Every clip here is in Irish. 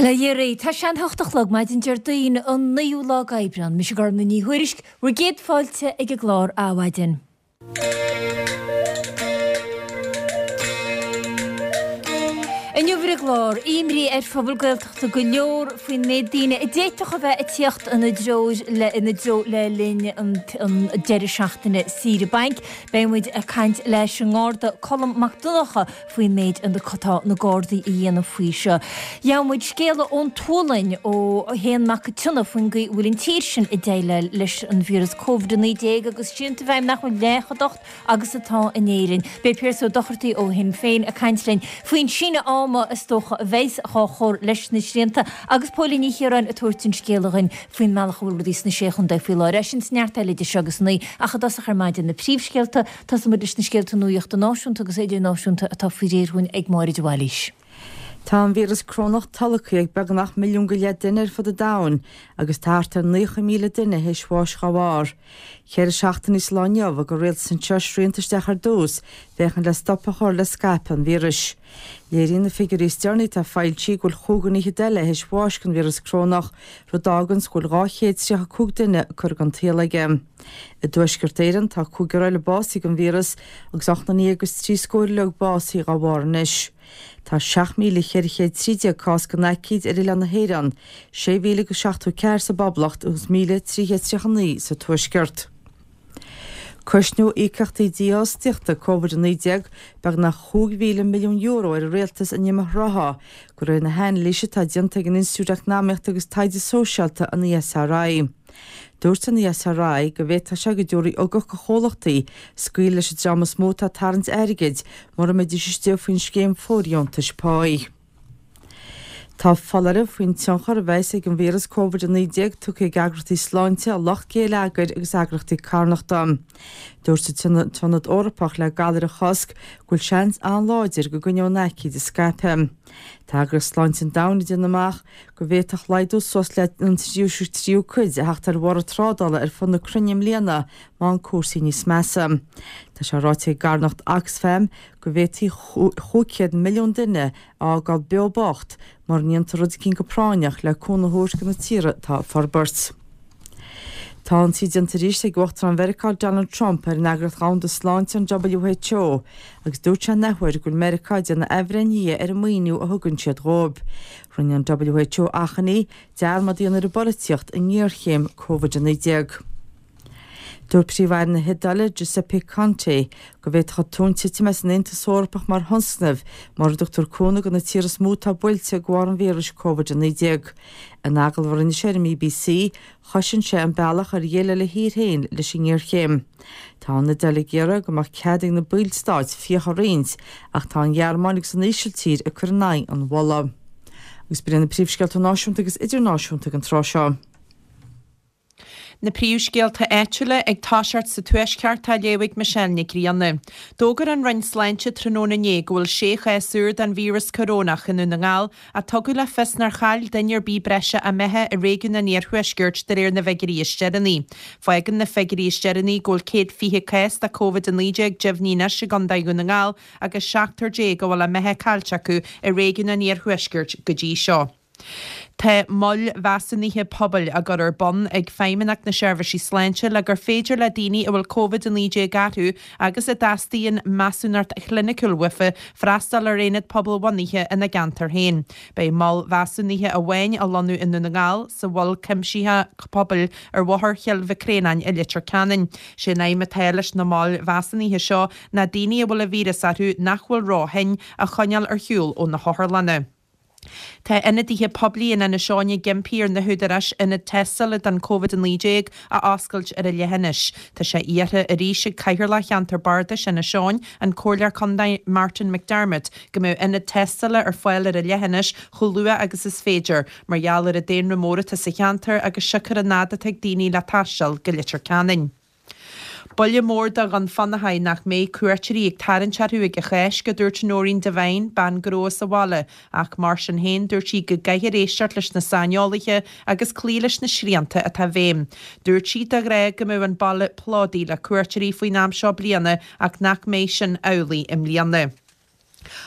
Bail ó Dhia oraibh, tá sé an hocht a chlog maidin Déardaoin an 9ú lá d'Aibreán. Mise Gormlaith Ní Thuairisg, bhur gcéad fáilte ag an gclár Adhmhaidin. Inniu ar an gclár, imní ar phobal Gaeltachta go leor faoin méid daoine a d'fhéadfadh a bheith ag tíocht ina dtreo le linn an deireadh seachtaine saoire bainc. Beidh muid ag caint leis an nGarda Colm Mac Donncha faoin méid atá na Gardaí a dhéanamh faoi seo. Gheobhaidh muid scéala ón tSualainn ó Shéan Mac an tSionnaigh faoin gcaoi a bhfuil an tír sin ag déileáil leis an víreas Covid-19 agus srianta i bhfeidhm nach bhfuil leath chomh docht agus atá in Éirinn. Beidh Pearse Ó Dochartaigh ó Shinn Féin ag caint linn faoin síneadh ama is dócha a bheas á chur leis na srianta agus Póilín Ní Chiaráin ag tabhairt an scéala dhuinn faoin mbealach a bhfuil rudaí sna Sé Chontae faoi láthair. É sin is neart eile idir seo agus a naoi ach i dtosach ar maidin na príomhscéalta. Tosóidh muid leis na scéalta nuachta náisiúnta agus idirnáisiúnta atá faoi réir dhúinn ag Máire de Bhailís. Tá an víreas corónach tolgtha ag beagnach milliún go leith duine ar fud an domhain agus tá thart ar 90,000 duine théis bháis dá bharr. Cheithre seachtainí sa lá inniu a thug an rialtas anseo srianta isteach ar dtús féachaint le stop a chur le scaipeadh an víris. Léiríonn na figiúirí is deireanaí atá foilsithe go bhfuil chúig dhuine fhichead eile théis bháis den víreas corónach, rud a fháganns go bhfuil 235 duine curtha den tsaol aige. I dTuaisceart Éireann, tá cúigear eile básaithe den víreas agus ocht nduine déag agus trí scór uileag básaithe dá bharr anois. Tá 7,413 cás den aicíd ar oileán na hÉireann, 6,074 sa bPoblacht agus 1,339 sa Tuaisceart. Cosnóidh íocaíochtaí dífhostaíochta Covid-19 beagnach €5,000 milliún ar an rialtas in am thrátha, de réir na hanailíse atá déanta ag an Institiúid Eacnamaíochta agus Taighde Sóisialta, an ESRI. Dúirt an ESRI go bhféadfadh sé go dtabharfaí ugach do chomhlachtaí scaoileadh leis an dream is mó atá ag tarraingt airgid mura mbeidís istigh faoin scéim fóirdheontais páí. Tá foláireamh faoin tionchar a bheas ag an víreas Covid-19 tugtha ag eagraíochtaí sláinte, lucht géilleagair agus eagraíochtaí carthanachta. Dúirt an tIonad Eorpach le Galair a Chosc go bhfuil seans an-láidir go gcoinneoidh an aicíd ag scaipeadh. Tá Eagraíocht Sláinte an Domhain ag déanamh amach go bhféadfadh laghdú suas le an tríú cuid a theacht ar bhorradh trádála ar fud na cruinne i mbliana má bhíonn cúrsaí níos measa. Tá sé ráite ag an gcarthanacht Oxfam go bhféadfaí 500 milliún duine a fhágáil beo bocht mura ndéantar rud eicínt go práinneach le cúnamh a thabhairt do na tíortha atá ag forbairt. Tá ionsaí déanta arís ag Uachtarán Mheiriceá Donald Trump ar an Eagraíocht Dhomhanda Sláinte, an WHO, agus dúirt sé an athuair go bhfuil Meiriceá ag déanamh athbhreithnithe ar an maoiniú a thugann siad dhóibh. Rinne an WHO achainí dearmad a dhéanamh ar an bpolaitíocht i ngéarchéim Covid-19. Dúirt Príomh-Aire na hIodáile, Giuseppe Conte, go bhféadfadh tonn titim as an Aontas Eorpach mar thionscnamh mura dtugtar cúnamh do na tíortha is mó atá buailte de bharr an víris Covid-19. In agallamh a rinne sé ar an mBBC, chosain sé an bealach ar dhéileáil a thír féin leis an ngéarchéim. Tá an Iodáil ag iarraidh go mbeadh cead ag na ballstáit fiacha a roinnt ach tá an Ghearmáin agus an Ísiltír ag cur in aghaidh an mholadh. Agus b'in iad na príomhscéalta náisiúnta agus idirnáisiúnta ag an tráth seo. Na príomhscéalta áitiúla ag toiseacht sa Tuaisceart á léamh ag Michelle Nic Grianna. D'fhógair an Roinn Sláinte tráthnóna inné go bhfuil sé chás úr den víreas corónach i nDún na nGall ach tugadh le fios nár chaill duine ar bith breise a mbeatha i réigiún an Iarthuaiscirt de réir na bhfigiúirí is deireanaí. Fágann na figiúirí is deireanaí go bhfuil 120 cás de Covid-19 deimhnithe anois i gContae Dhún na nGall agus seachtar déag a bhfuil a mbeatha caillte acu i réigiún an Iarthuaiscirt go dtí seo. Tá moil mheasúnaithe pobail á gcur ar bun ag Feidhmeannacht na Seirbhísí Sláinte le gur féidir le daoine a bhfuil Covid-19 orthu agus a dteastaíonn measúnacht chliniciúil uafa freastal ar aonad pobalbhunaithe ina gceantar féin. Beidh mol mheasúnaithe amháin á lonnú i nDún na nGall, sa Mhol Cuimsitheach Pobail ar Bhóthar Chill Mhic Réanáin i Leitir Ceanainn. Sé an aidhm atá leis na moil mheasúnaithe seo ná daoine a bhfuil an víreas orthu nach bhfuil ró-thinn a choinneáil ar shiúl ó na hotharlanna. Tá ionadaithe poiblí in Inis Eoghain ag impí ar na húdaráis ionad tástála don Covid-19 a oscailt ar an leithinis. Tá sé iarrtha arís ag Cathaoirleach Cheantar Bardais Inis Eoghain, an Comhairleoir Contae Martin McDermott, go mbeadh ionad tástála ar fáil ar an leithinis chomh luath agus is féidir, mar gheall ar an daonra mór atá sa cheantar agus siocair an fhad atá ag daoine le taisteal go Leitir Ceanainn. Buille mór do Dhún Fionnachaidh nach mbeidh cuairteoirí ag tarraingt orthu ag an Cháisc, a dúirt Noreen Devine, bean gnó as an bhaile, ach mar sin féin dúirt sí go gcaithfear éisteacht leis na saineolaithe agus cloí leis na srianta atá i bhfeidhm. Dúirt sí de ghnáth go mbeadh an baile plódaithe le cuairteoirí faoin am seo bliana ach nach mbeidh sin amhlaidh i mbliana.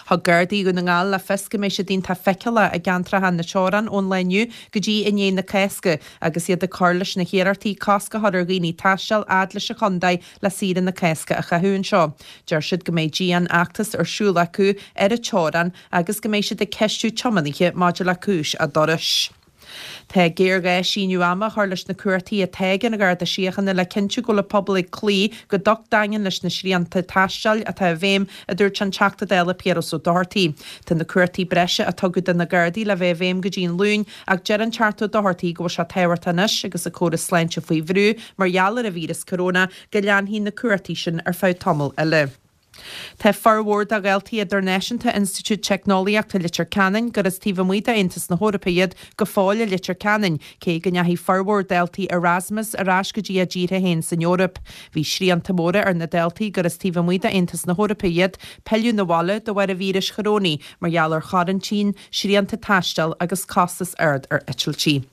Thug Gardaí Dhún na nGall le fios go mbeidh siad iontach feiceálach i gceantracha na teorann ón lá inniu go dtí i ndiaidh na Cásca agus iad ag cur leis na hiarrachtaí cosc a chur ar dhaoine taisteal fhad leis an chontae le saoire na Cásca a chaitheamh anseo. Deir siad go mbeidh dian-fheachtas ar siúl acu ar an teorainn agus go mbeidh siad ag ceistiú tiománaithe maidir le cúis a dturais. Tá géarghá síneadh ama a chur leis na cumhachtaí atá ag an Gharda Síochána le cinntiú go bhfuil an pobal ag cloí go docht daingean leis na srianta taistil atá i bhfeidhm, a dúirt an Teachta Dála Piaras Ó Dochartaigh. Tá na cumhachtaí breise a tugadh do na Gardaí le bheith i bhfeidhm go dtí an Luan ach deir an Teachta Ó Dochartaigh go bhfuil sé tábhachtach anois agus an córas sláinte faoi bhrú mar gheall ar an víreas coróna go leanfaidh na cumhachtaí sin ar feadh tamaill eile. Tá formhór de dhaltaí idirnáisiúnta Institiúid Teicneolaíochta Leitir Ceanainn, gur as taobh amuigh d'Aontas na hEorpa iad, go fóill i Leitir Ceanainn, cé go ndeachaigh formhór daltaí Erasmus ar ais go dtí a dtíortha féin san Eoraip. Bhí srianta móra ar na daltaí gur as taobh amuigh d'Aontas na hEorpa iad, pilleadh 'na bhaile de bharr an víris chorónaigh mar gheall ar choraintín, srianta taistil agus costas ard ar eitiltí.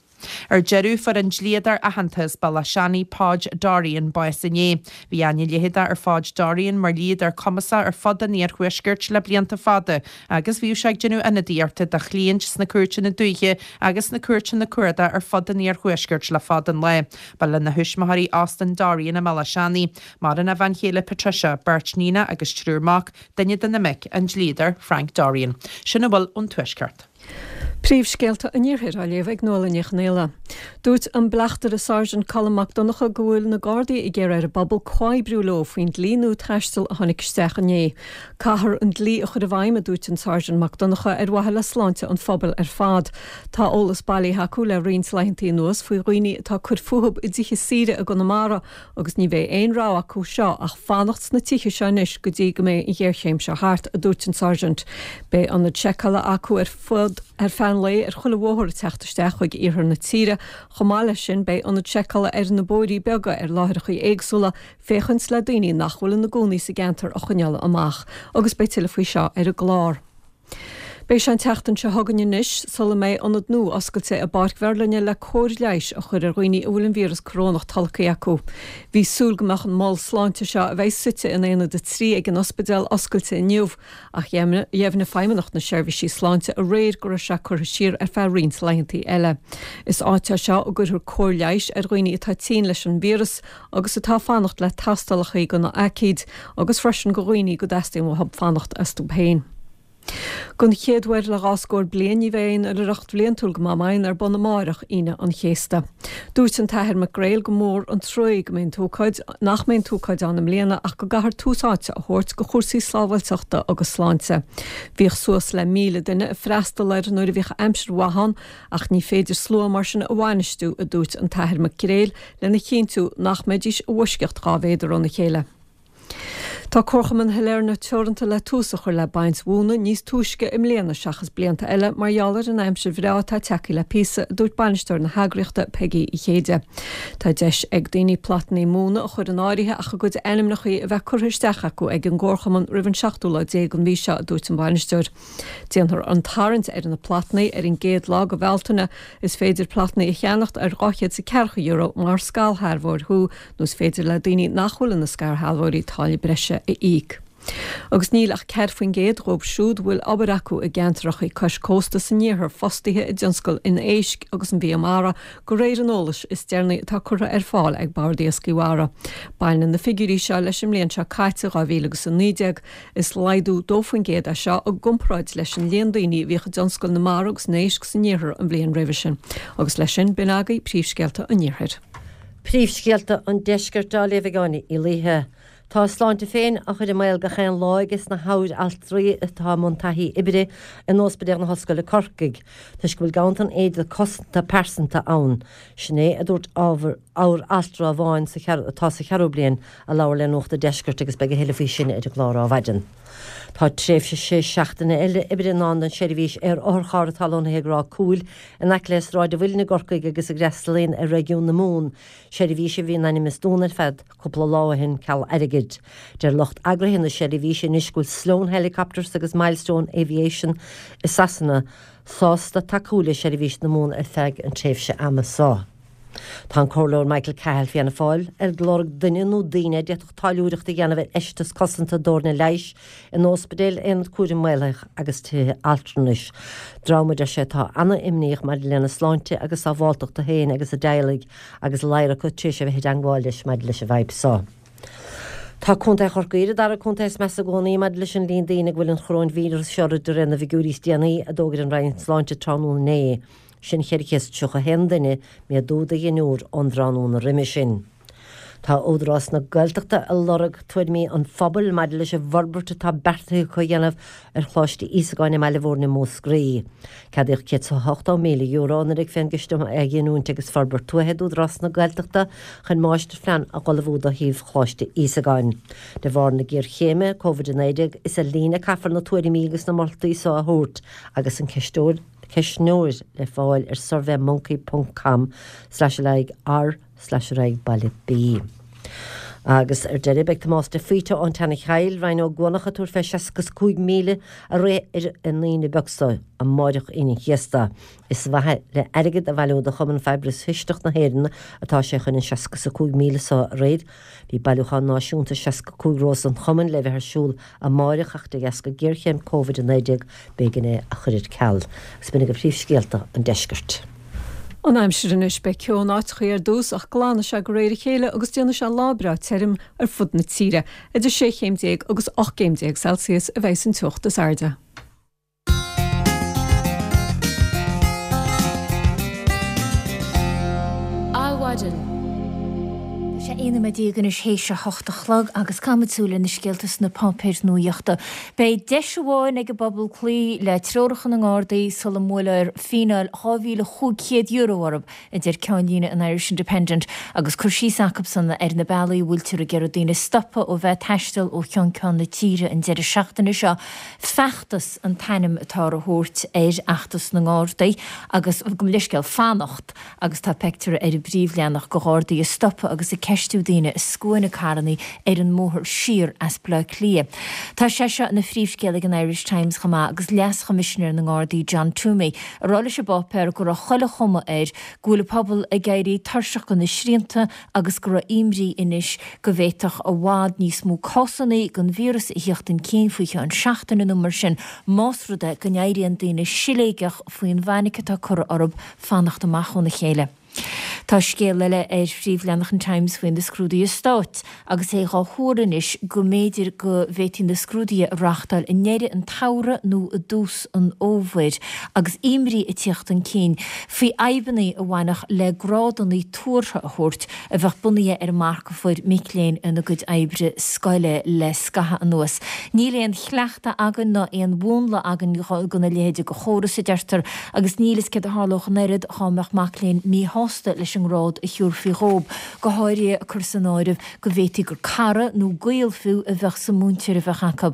Ar deireadh, fuair an dlíodóir aitheanta as Béal Átha Seanaidh, Podge Dorrian, bás inné. Bhí aithne leitheadach ar Phodge Dorrian mar dhlíodóir cumasach ar fud an iarthuaiscirt le blianta fada agus bhíodh sé ag déanamh ionadaíochta do chliaint sna cúirteanna dúiche agus sna cúirteanna cuarda ar fud an iarthuaiscirt le fada an lá. Ba lena thuismitheoirí Austin Dorrian i mBéal Átha Seanaidh. Maireann a bhean chéile Patricia, beirt níonach agus triúr mac, duine de na mic, an dlíodóir Frank Dorrian. Sin a bhfuil ón Tuaisceart. Príomhscéalta an Iarthair á léamh ag Nuala Ní Chonghaile. Dúirt an Bleachtaire Sáirsint Colm Mac Donncha go bhfuil na Gardaí ag iarraidh ar an bpobal comhoibriú leo faoin dlí nua taistil a tháinig isteach inné. Caithfear an dlí a chur i bhfeidhm, a dúirt an Sáirsint Mac Donncha, ar mhaithe le sláinte an phobail ar fad. Tá eolas bailithe acu le roinnt laethantaí anuas faoi dhaoine atá ag cur fúthu i dtithe saoire i gConamara Agus ní bheidh aon rogha acu seo ach fanacht sna tithe seo anois go dtí go mbeidh an ghéarchéim seo thart, a dúirt an Sáirsint. Beidh ionaid seiceála acu ar fud ar feadh an lae ar chuile bhóthar ag teacht isteach chuig iarthar na tíre. Chomh maith leis sin, beidh ionaid seiceála ar na bóithrí beaga ar láithreacha éagsúla féachaint le daoine nach bhfuil ina gcónaí sa gceantar a choinneáil amach. Agus beidh tuilleadh faoi seo ar an gclár. Beidh sé an tseachtain seo chugainn anois sula mbeidh ionad nua oscailte i bPáirc Mherlinne le cóir leighis a chur ar dhaoine a bhfuil an víreas corónach tolgtha acu. Bhí súil go mbeadh an mol sláinte seo, a bheidh suite in Aonad 3 ag an ospidéal, oscailte inniu ach dheimhnigh Feidhmeannacht na Seirbhísí Sláinte aréir go raibh sé curtha siar ar feadh roinnt laethantaí eile. Is áit é seo a gcuirfear cóir leighis ar dhaoine atá tinn leis an víreas agus atá ag fanacht le tástálacha do na haicíd agus freisin go dhaoine go dteastaíonn uathu fanacht astu féin. Don chéad uair le dhá scór bliain ní bheidh aon oilithreacht bhliantúil go Magh Maighneann ar bun amárach, Aoine an Chéasta. Dúirt an tAthair Mac Gréil gur mór an truaí go mbeidh an t-ócáid, nach mbeidh an t-ócáid ann i mbliana ach go gcaithfear tús áite a thabhairt go chúrsaí sábháilteachta agus sláinte. Bhíodh suas le 1,000 duine ag freastal air nuair a bhíodh aimsir mhaith ann ach ní féidir slua mar sin a bhainistiú, a dúirt an tAthair Mac Gréil, lena chinntiú nach mbeidís i bhfoisceacht 2 mhéadar óna chéile. Tá Comharchumann Shailearna Teoranta le tús a chur le baint mhóna níos túisce i mbliana seachas blianta eile mar gheall ar an aimsir bhreá atá tagtha le píosa, a dúirt bainisteoir na heagraíochta, Peigí Uí Chéide. Tá deis ag daoine plotannaí móna a chur in áirithe ach a gcuid ainmneachaí a bheith curtha isteach acu ag an gComharchumann roimh an seachtú lá déag den mhí seo, a dúirt an bainisteoir. Déanfar an tarraingt ar na plotannaí ar an gcéad lá de Bhealtaine. Is féidir plotannaí a cheannacht ar €240 mar scairshealbhóir thú nó is féidir le daoine nach bhfuil ina scairshealbhóirí táille breise a íoc. Agus níl ach 4% dhóibh siúd a bhfuil obair acu i gceantracha cois cósta san iarthar fostaithe i dtionscal an éisc agus an bhia mara, de réir an eolais is deireanaí atá curtha ar fáil ag Bord Iascaigh Mhara. Baineann na figiúirí seo leis an mbliain seo caite, 2019. Is laghdú 2% é seo i gcomparáid leis an líon daoine a bhíodh i dtionscal na mara agus na n-éisc san iarthar an bhliain roimhe sin. Agus leis sin, b'in agaibh príomhscéalta an iarthair. Príomhscéalta an Deiscirt á léamh ag Áine Uí Laoithe. Tá a sláinte féin á chur i mbaol gach aon lá ages na hamharaltraí atá i mbun taithí oibre in Ospidéal na hOllscoile Corcaigh, toisc go bhfuil ganntan éide cosanta pearsanta ann. Sin é a dúirt amharaltra amháin atá sa cheathrú bliain a labhair le Nuacht an Deiscirt agus beidh a thuilleadh faoi sin ar an gclár Adhmhaidin. Tá tréimhse sé seachtaine eile oibre i ndán don seirbhís aer-otharcharr atá lonnaithe ag Ráth Cúil in aice le Sráid an Mhuilinn i gCorcaigh agus a fhreastalaíonn ar réigiún na Mumhan, seirbhís a bhí in ainm is dúnadh ar feadh cúpla lá ó shin ceal airgid. Deir lucht eagraithe na seirbhíse anois go bhfuil Sloan Helicopters agus Milestone Aviation i Sasana sásta tacú le seirbhís na Mumhan ar feadh an tréimhse ama seo. Tá an Comhairleoir Michael Cahill Fianna Fáil ag lorg duine nó daoine a d'fhéadfadh táilliúireacht a dhéanamh ar fheisteas cosanta d'fhoirne leighis in óspidéil, aonaid cúraim mhaolaithigh agus tithe altranais. Dream, a deir sé, atá ana-imníoch maidir lena sláinte agus sábháltachta féin agus a dteaghlaigh agus ladhar acu tar éis a bheith i dteangmháil leis maidir leis an bhfadhb seo. Tá Contae Chorcaí ar an dara contae is measa i gcónaí maidir leis an líon daoine go bhfuil an choróinvíreas seo orthu de réir na bhfigiúirí is déanaí a d'fhógair an Roinn Sláinte tráthnóna inné. Sin 431 duine, méadú de dheichniúr ón dtráthnóna roimhe sin. Tá Údarás na Gaeltachta ag lorg tuairimí an phobail maidir leis an bhforbairt atá beartaithe acu a dhéanamh ar Choláiste Íosagáin i mBaile Mhúirne i Múscraí. Ceadaíodh €180,000 anuraidh fén gCiste um Athghiniúint agus Forbairt Tuaithe d'Údarás na Gaeltachta chun máistirphlean a dh'ullmhú do shuíomh Choláiste Íosagáin. De bharr na géarchéime Covid-19 is ar líne a caithfear na tuairimí agus na moltaí so a thabhairt agus an ceistneoir ceistneoir le fáil ar surveymonkey ponc com slash ar aghaidh r slash ar aghaidh baile B. Agus ar deireadh, beidh Tomás de Faoite ón tSeana-Chill, Rinn Ó gCuanach ag tabhairt fé 65 míle a rith ar an Aoine beag so, amáireach Aoine an Chéasta. Is ar mhaithe le airgead a bhailiú do Chumann Fiabhras Cisteach na hÉireann atá sé chun an 65 míle so a rith. Bhí bailiúchán náisiúnta 65 rós an Chumainn le bheith ar siúl amáireach ach de dheasca géarchéim Covid-19 b'éigean é a chur ar ceal. Agus b'in agaibh príomhscéalta an deiscirt. An aimsir anois, beidh ceo in áiteachaí ar dtús ach glanfaidh sé de réir a chéile agus déanfaidh sé lá breá tirim ar fud na tíre. Idir 16 chéim agus 18 gcéim Celsius a bheidh an teocht is airde. Adhmhaidin. Tá sé 11 nóiméad anois théis a hocht a chlog agus caithfimid súil ar na scéalta sna páipéir nuaíochta. Beidh deis amháin ag an bpobal cloí le treoracha na nGardaí sula mbuailfear fíneáil €2,500 orthu, a deir ceannlíne an Irish Independent, agus cur síos acusan ar na bealaí a bhfuiltear ag iarraidh daoine stopadh ó bheith ag taisteal ó cheann ceann na tíre an deireadh seachtaine seo. Feachtas an t-ainm atáthar a thabhairt ar fheachtas na nGardaí agus, gabh mo leithscéal, fanacht. agus tá peictiúr ar an bpríomhleathanach de Ghardaí ag stopadh agus ag ceistiú daoine i scuaine carrannaí ar an mbóthar siar as Baile Átha Cliath. Tá sé seo ina phríomhscéal ag an Irish Times chomh maith agus Leas-Choimisinéir na nGardaí John Twomey ag rá leis an bpáipéar go raibh chuile chuma air go bhfuil an pobal ag éirí tuirseach de na srianta agus go raibh imní anois go bhféadfadh i bhfad níos mó cásanna den víreas a thíocht chun cinn faoi cheann seachtaine nó mar sin más rud é go n-éiríonn daoine siléigeach faoin bhfainic atá curtha orthu fanacht amach óna chéile. Tá scéal eile ar phríomhleathanach an Times faoi na scrúduithe stáit agus é dhá thuar anois go mb'fhéidir go bhféadfaí na scrúduithe a reáchtáil i ndeireadh an tsamhraidh nó i dtús an fhómhair agus imní ag tíocht chun cinn faoi fhadhbanna a bhainfeadh le grádanna tuartha a thabhairt a bheadh bunaithe ar an marc a fuair mic léinn ina gcuid oibre scoile le scaitheamh anuas. Níl aon chleachtadh againn ná aon mhúnla againn gona leithéide de chóras, a deirtear, agus níl fhios céard a tharlódh an oiread dhá mbeadh mac léinn míshásta leis an ngrád a thiúrfaí dhób, go háirithe ag cur san áireamh go bhféadfaí gur cara nó gaol fiú a bheadh sa múinteoir a bheadh acu.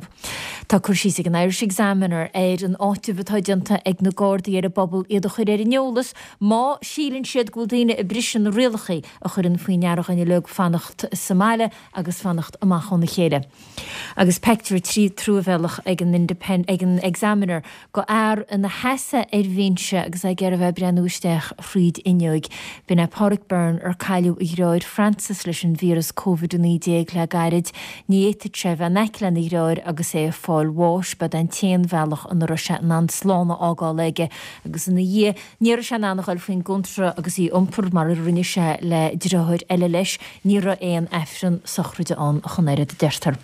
Tá cur síos ag an Irish Examiner ar an áiteamh atá déanta ag na Gardaí ar an bpobal iad a chur ar an eolas má síleann siad go bhfuil daoine ag briseadh na rialacha a chuireann faoi ndeara dhuine uilig fanacht sa mbaile agus fanacht amach óna chéile. Agus peictiúr truamhéalach ag an ag an Examiner go fhear ina sheasamh ar bhinse agus é ag iarraidh a bheith ag breathnú isteach thríd fhuinneoig. B'in é Páraic Byrne ar cailleadh a dhreáir Francis leis an víreas Covid-19 le gairid. Ní fhéadfadh sé a bheith in aice lena dhreáir agus é ag fáil bháis. B'é an t-aon bhealach ina raibh sé in ann slán a fhágáil aige agus ina dhiaidh ní raibh sé in ann a ghoil faoin gcóntra agus í a iompar mar a rinne sé le deartháir eile leis. Ní raibh aon aifreann sochraide ann ach an oiread, a deirtear.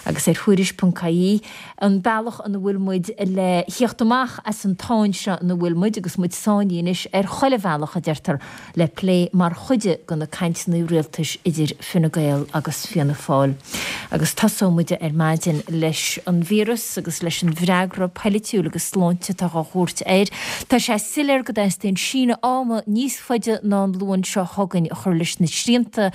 Agus ar Thuairisc.ie, an bealach ina bhfuil muid le thíocht amach as an tsáinn seo ina bhfuil muid, agus muid sáinnithe anois ar chuile bhealach, a deirtear, le plé mar chuid de na cainteanna rialtais idir Fine Gael agus Fianna Fáil. Agus tosóidh muid ar maidin leis an víreas agus leis an bhfreagra poilitiúil agus sláinte atá á thabhairt air. Tá sé soiléir go dteastaíonn síneadh ama níos faide ná an Luan seo chugainn a chur leis na srianta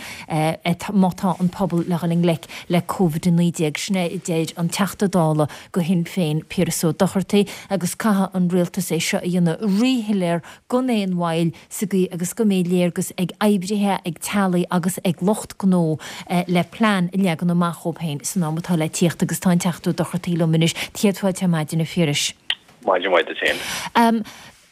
má tá an pobal le dhul i ngleic le Covid-19. Sin é a deir an Teachta Dála do Shinn Féin, Piaras Ó Dochartaigh, agus caithfidh an Rialtas é seo a dhéanamh ríshoiléir gan aon mhoill sa gcaoi agus go mbeidh léargas ag oibrithe, ag teaghlaigh agus ag lucht gnó le plean a leagan amach dhóibh féin san am atá le tíocht agus tá an Teachta Ó Dochartaigh liom anois. Céad fáilte ar maidin a Phiarais. Maidin mhaith duit féin.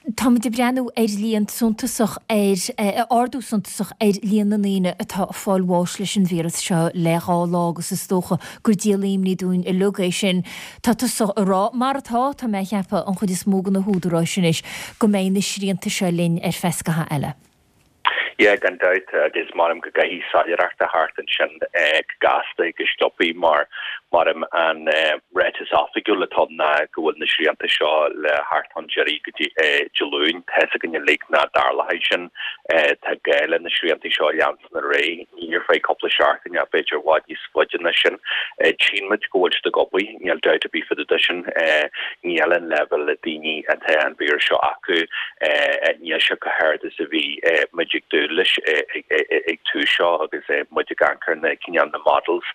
Táimid ag breathnú ar líon suntasach ar, ardú suntasach ar líon na ndaoine atá ag fáil bháis leis an víreas seo le 2 lá agus is dócha gur díol imní dúinn uilig é sin. Tá tusa ag rá, mar atá, tá mé a cheapadh, an chuid is mó de na húdaráis anois, go mbeidh na srianta seo linn ar feadh scaithimh eile. Yeah, gan dabht, agus measaim go gcaithfidh soiléireacht a theacht ansin go gasta go sciobthaí mar measaim an ráiteas oifigiúil atá ann ná go bhfuil na srianta seo le theacht chun deiridh go dtí Dé Luain. Tá fhios againn uilig nach dtarlóidh sin. Tá gá le na srianta seo a leanstan ar aghaidh, ní ar feadh cúpla seachtain ach b'fhéidir i bhfad níos faide ná sin. Tchíonn muid go bhfuil siad ag obair, níl dabht ar bith fá dtaobh de sin. Níl an leibhéal daoine atá an víreas seo acu, níl sé chomh hard is a bhí muid ag dúil leis ag tús seo agus muid ag amharc ar na cineál na models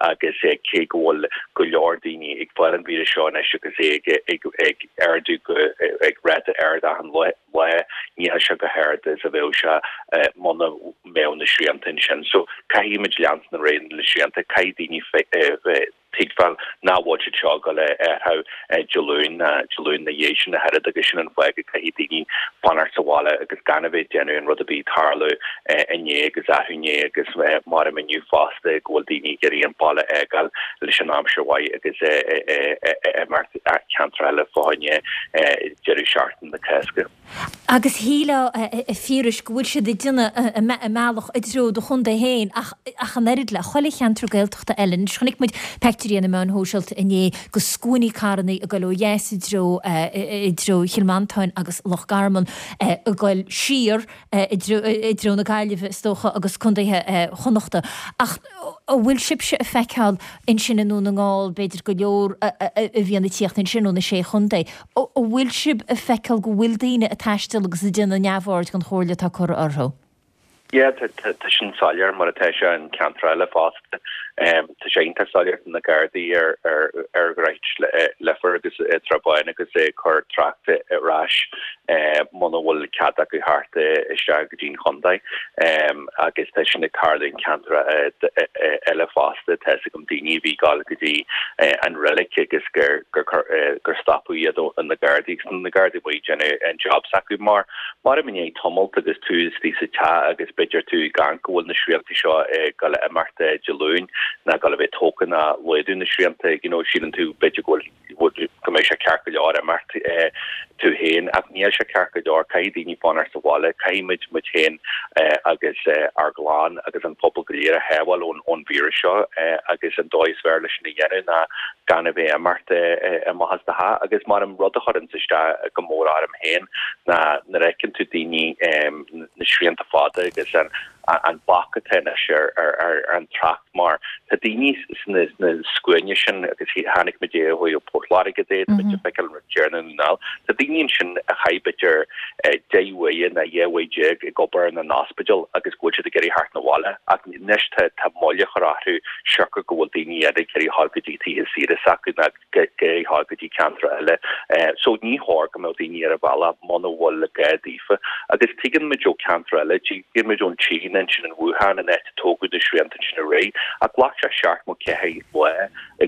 agus cé go bhfuil go leor daoine ag fáil an víreas seo anois agus é ag ardú go ag ráta ard achan lá, níl sé chomh hard is a bheadh sé muna mbeadh na srianta ansin. So caithfidh muid leanstan ar aghaidh na srianta, caithfidh daoine tuigbheáil nach bhfuil siad seo ag dul a athrú Dé Luain ná Dé Luain ina dhiaidh sin ach oiread agus sin an fáth go gcaithfidh daoine fanacht sa bhaile agus gan a bheith ag déanamh an rud a bhí ag tarlú inné agus arú inné agus maram inniu fosta go bhfuil daoine ag iarraidh an baile a fhágáil leis an aimsir mhaith agus imeacht ceantar eile fá choinne deireadh seachtaine na Cásca. Agus shílfeá, a Phiarais, go bhfuil siad ag déanamh a mbealach i dtreo do chontae féin ach ach an oiread le chuile cheantar Gaeltachta eile. Anois chonaic muid peictiúirí ar na meáin shóisialta inné de scuainí carrannaí ag dul ó dheas i dtreo i dtreo Chill Mhantáin agus Loch Garman ag dul siar i dtreo na Gaillimhe is dócha agus contaetha Chonnachta. Ach an bhfuil sibhse ag feiceáil ansin i nDún na nGall, b'fhéidir go leor a bhíonn ag tíocht ansin ó na Sé Chontae, an bhfuil sibh ag feiceáil go bhfuil daoine ag taisteal agus ag déanamh neamhaird den chomhairle atá curtha orthu? Yeah, tá sin soiléir mar atá sé in ceantar eile fosta. Tá sé iontach soiléir tá na Gardaí ar ar Dhroichead Leifear agus Trá Báin agus ag cur tráchta ar ais muna bhfuil cead acu theacht isteach go dtí'n chontae agus tá sin ag tarlú in ceantar eile fosta. Tá fhios agam daoine a bhí ag dul go dtí an reilig agus gur gur stopadh iad ó na Gardaí agus na Gardaí amuigh ag déanamh an job s'acu mar Maram i ndiaidh tamalt agus tú istigh sa teach agus b'fhéidir tú ag amharc go bhfuil na srianta seo ag dul a imeacht Dé Luain ná ag dul a bheith tógtha ná laghdú na srianta, you know, síleann tú b'fhéidir go bhfuil go mbeidh sé ceart go leor imeacht tú féin ach níl sé ceart go leor, caithfidh daoine fanacht sa bhaile, caithfidh muid muid féin agus ár gclann agus an pobal go léir a shábháil ón ón víreas seo agus an dóigh is fearr leis sin a dhéanamh ná gan a bheith imeacht amach as do theach agus maram rud a chuireanns isteach go mór orm féin ná nuair a fheiceann tú daoine na srianta fada agus an an bac atá anois ar ar an trácht mar tá daoine sna sna scuaine sin agus chonaic muid é ó thaobh Port Láirge de, tá muid ag feiceáil an rud céanna i nDún na nGall. Tá daoine ansin a chaith b'fhéidir 10 uaire nó 12 uair ag obair in an ospidéal agus go bhfuil siad ag iarraidh theacht 'na bhaile ach anois tá tá moill á chur orthu siocair go bhfuil daoine eile ag iarraidh dhul go dtí tithe saoire s'acu nó ag iarraidh dhul go dtí ceantar eile. So ní chóir go mbeadh daoine ar an bhealach muna bhfuil gá daofa. Agus tuigeann muid ó ceantar eile, tuigeann muid ón tSín ansin in Wuhan an áit a tógadh na srianta ansin aréir ach ghlac sé 74 lá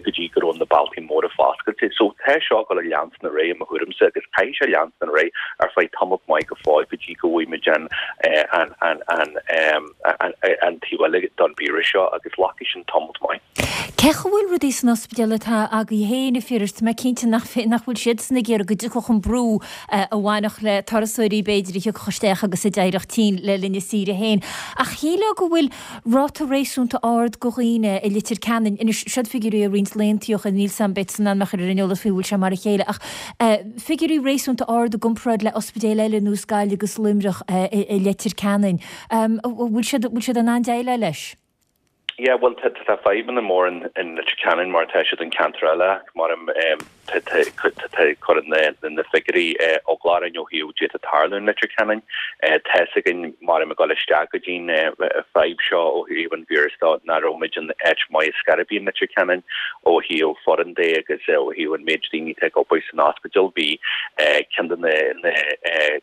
go dtí go raibh na bealtaí móra foscailte. So tá seo ag dul a leanstan ar aghaidh i mo thuairimse agus caithfidh sé leanstan ar aghaidh ar feadh tamalt maith go fóill go dtí go bhfaighidh muid an an an an an an taobh eile don víreas seo agus glacfaidh sin tamalt maith. Cén chaoi a bhfuil rudaí san ospidéal atá agaibh féin, a Phiarais? Tá mé cinnte nach nach bhfuil siadsan ag iarraidh go dtiocfadh an brú a bhainfeadh le turasóirí b'fhéidir a thiocfadh isteach agus a d'éireodh tinn le linn a saoire féin. Ach shílfeá go bhfuil ráta réasúnta ard de dhaoine i Leitir Ceanainn, anois siod figiúirí ó roinnt laethanta ó shin, níl 's a'm beidh tusa in ann mé a chur ar an eolas faoi bhfuil sé mar a chéile, ach figiúirí réasúnta ard i gcomparáid le ospidéil eile ar nós Gaillimh agus Luimneach i Leitir Ceanainn. Bhfuil siad, bhfuil siad in ann déileáil leis? Yeah, bhuel tá tá fadhbanna mór in in Leitir Ceanainn mar atá siad in ceantar eile ach mar cuireann na figiúirí eagla orainn ó thaobh d'fhéadfadh tarlú in Leitir Ceanainn. Tá 'fhios againn mar ag dul isteach go dtí'n fadhb seo ó thaobh an víreas de nach raibh muid in áit maith ar scor ar bith in Leitir Ceanainn ó thaobh foireann de agus ó thaobh an méid daoine atá ag obair san ospidéal. Bhí ceann de na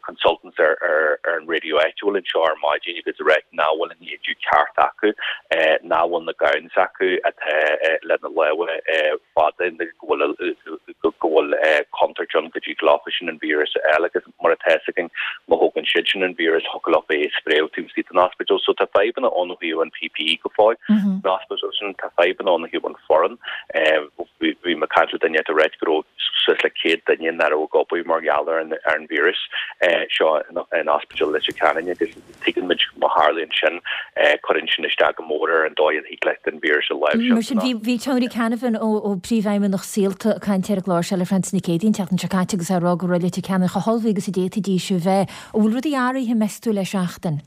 consultants ar an raidió áitiúil anseo ar maidin agus ag ráit nach bhfuil an éide ceart acu, nach bhfuil na gowns acu atá le na lámha fada, go bhfuil. go bhfuil contúirt ann go dtig leofa sin an víreas a fháil agus mar atá fhios againn má thógann siad sin an víreas thiocfadh leofa é a spréadh taobh istigh den ospidéal. So tá fadhbanna ann ó thaobh an PPE go fóill san ospidéal sin, tá fadhbanna ann ó thaobh an foireann. Bhí mé ag caint le duine ag ráit go raibh suas le 100 duine nach raibh ag obair mar gheall ar an víreas seo in Ospidéal Leitir Ceanainn agus tuigeann muid má tharlaíonn sin, cuireann sin isteach go mór ar an dóigh a thig leat an víreas a láimhseáil. Mar sin, bhí Tony Canavan ó Príomhfheidhmeannach Saolta ag caint ar an gclár seo le Frances Nic Géadaigh an tseachtain seo caite agus é ag rá go raibh Leitir Ceanainn chomh hullmhaithe agus a d'fhéadfaidís a bheith. An bhfuil rudaí athraithe, meas tú, le seachtain?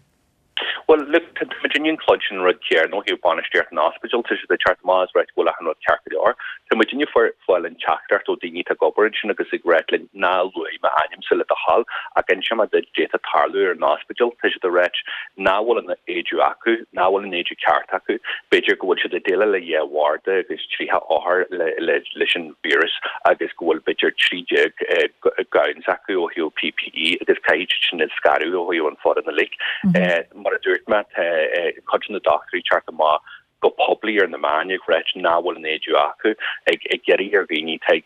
Bhuel, look, tá muidinne ag cluinstin an rud céanna ó thaobh bainistíocht an ospidéil, tá siad ag teacht amach is ag ráit go bhfuil achan rud ceart go leor. Tá muidinne ag fáil an teachtaireacht ó daoine atá ag obair ansin agus ag ráit linn ná luaigh m'ainmse le do thoil ach inseoidh mé duit d'fhéadfadh tarlú ar an ospidéal. Tá siad ag ráit nach bhfuil an éide acu, nach bhfuil an éide ceart acu, b'fhéidir go bhfuil siad ag déileáil le dhá bharda agus 30 othar leis an víreas agus go bhfuil b'fhéidir 13 gowns acu ó thaobh PPE agus caithfidh siad sin a scaradh ó thaobh an foireann uilig. Mar a dúirt mé, tá cuid de na dochtúirí ag teacht amach go poiblí ar na meáin ag ráit nach bhfuil an éide acu, ag iarraidh ar dhaoine atá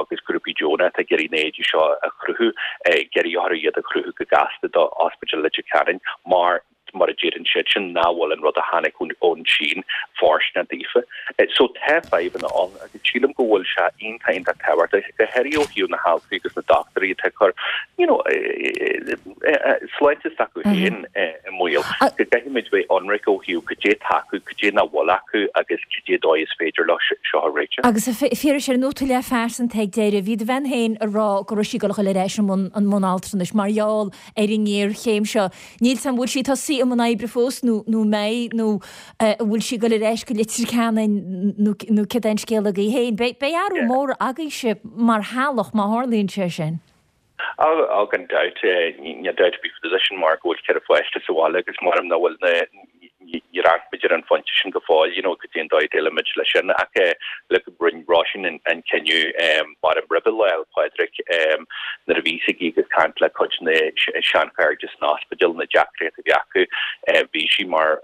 agus grúpaí deonacha atá ag iarraidh na éidí seo a chruthú, ag iarraidh orthu iad a chruthú go gasta do Ospidéal Leitir Ceanainn mar mar a deireann siadsan, nach bhfuil an rud a tháinig ón tSín fóirsteanach daofa. So tá fadhbanna ann agus sílim go bhfuil sé iontach, iontach tábhachtach, go háirithe ó thaobh na haltraí agus na dochtúirí atá ag cur, you know, sláinte s'acu féin i mbaol, go gcaithfimid bheith ionraic ó thaobh cad é atá acu, cad é nach bhfuil acu agus cad é dóigh is féidir leo seo a réiteach. Agus a Phiarais, ar nóta leathphearsanta ag deireadh, bhí do bhean féin ag rá go raibh sí ag dul a dhul ar ais i mbun altranais mar gheall ar an ngéarchéim seo. Níl 's a'm an bhfuil sí tosaithe i mbun oibre fós nó nó an mbeidh nó an bhfuil sí ag dul ar ais go Leitir Ceanainn nó nó céard é an scéal agaibh féin. Beidh beidh athrú mór agaibhse mar theaghlach má tharlaíonn sé sin. Á gan dabht, níl dabht ar bith faoi sin mar go bhfuil 4 pháiste sa bhaile agus maram nach bhfuil na níor amharc muid ar an phointe sin go fóill, you know, cad é an dóigh a déileáilfimid leis sin. Ach look, rinne Róisín an cinneadh maram roimhe Lá 'le Pádraig nuair a bhí sí ag caint le cuid de na seanchairde san ospidéal, na deacrachtaí a bhí acu, bhí sí mar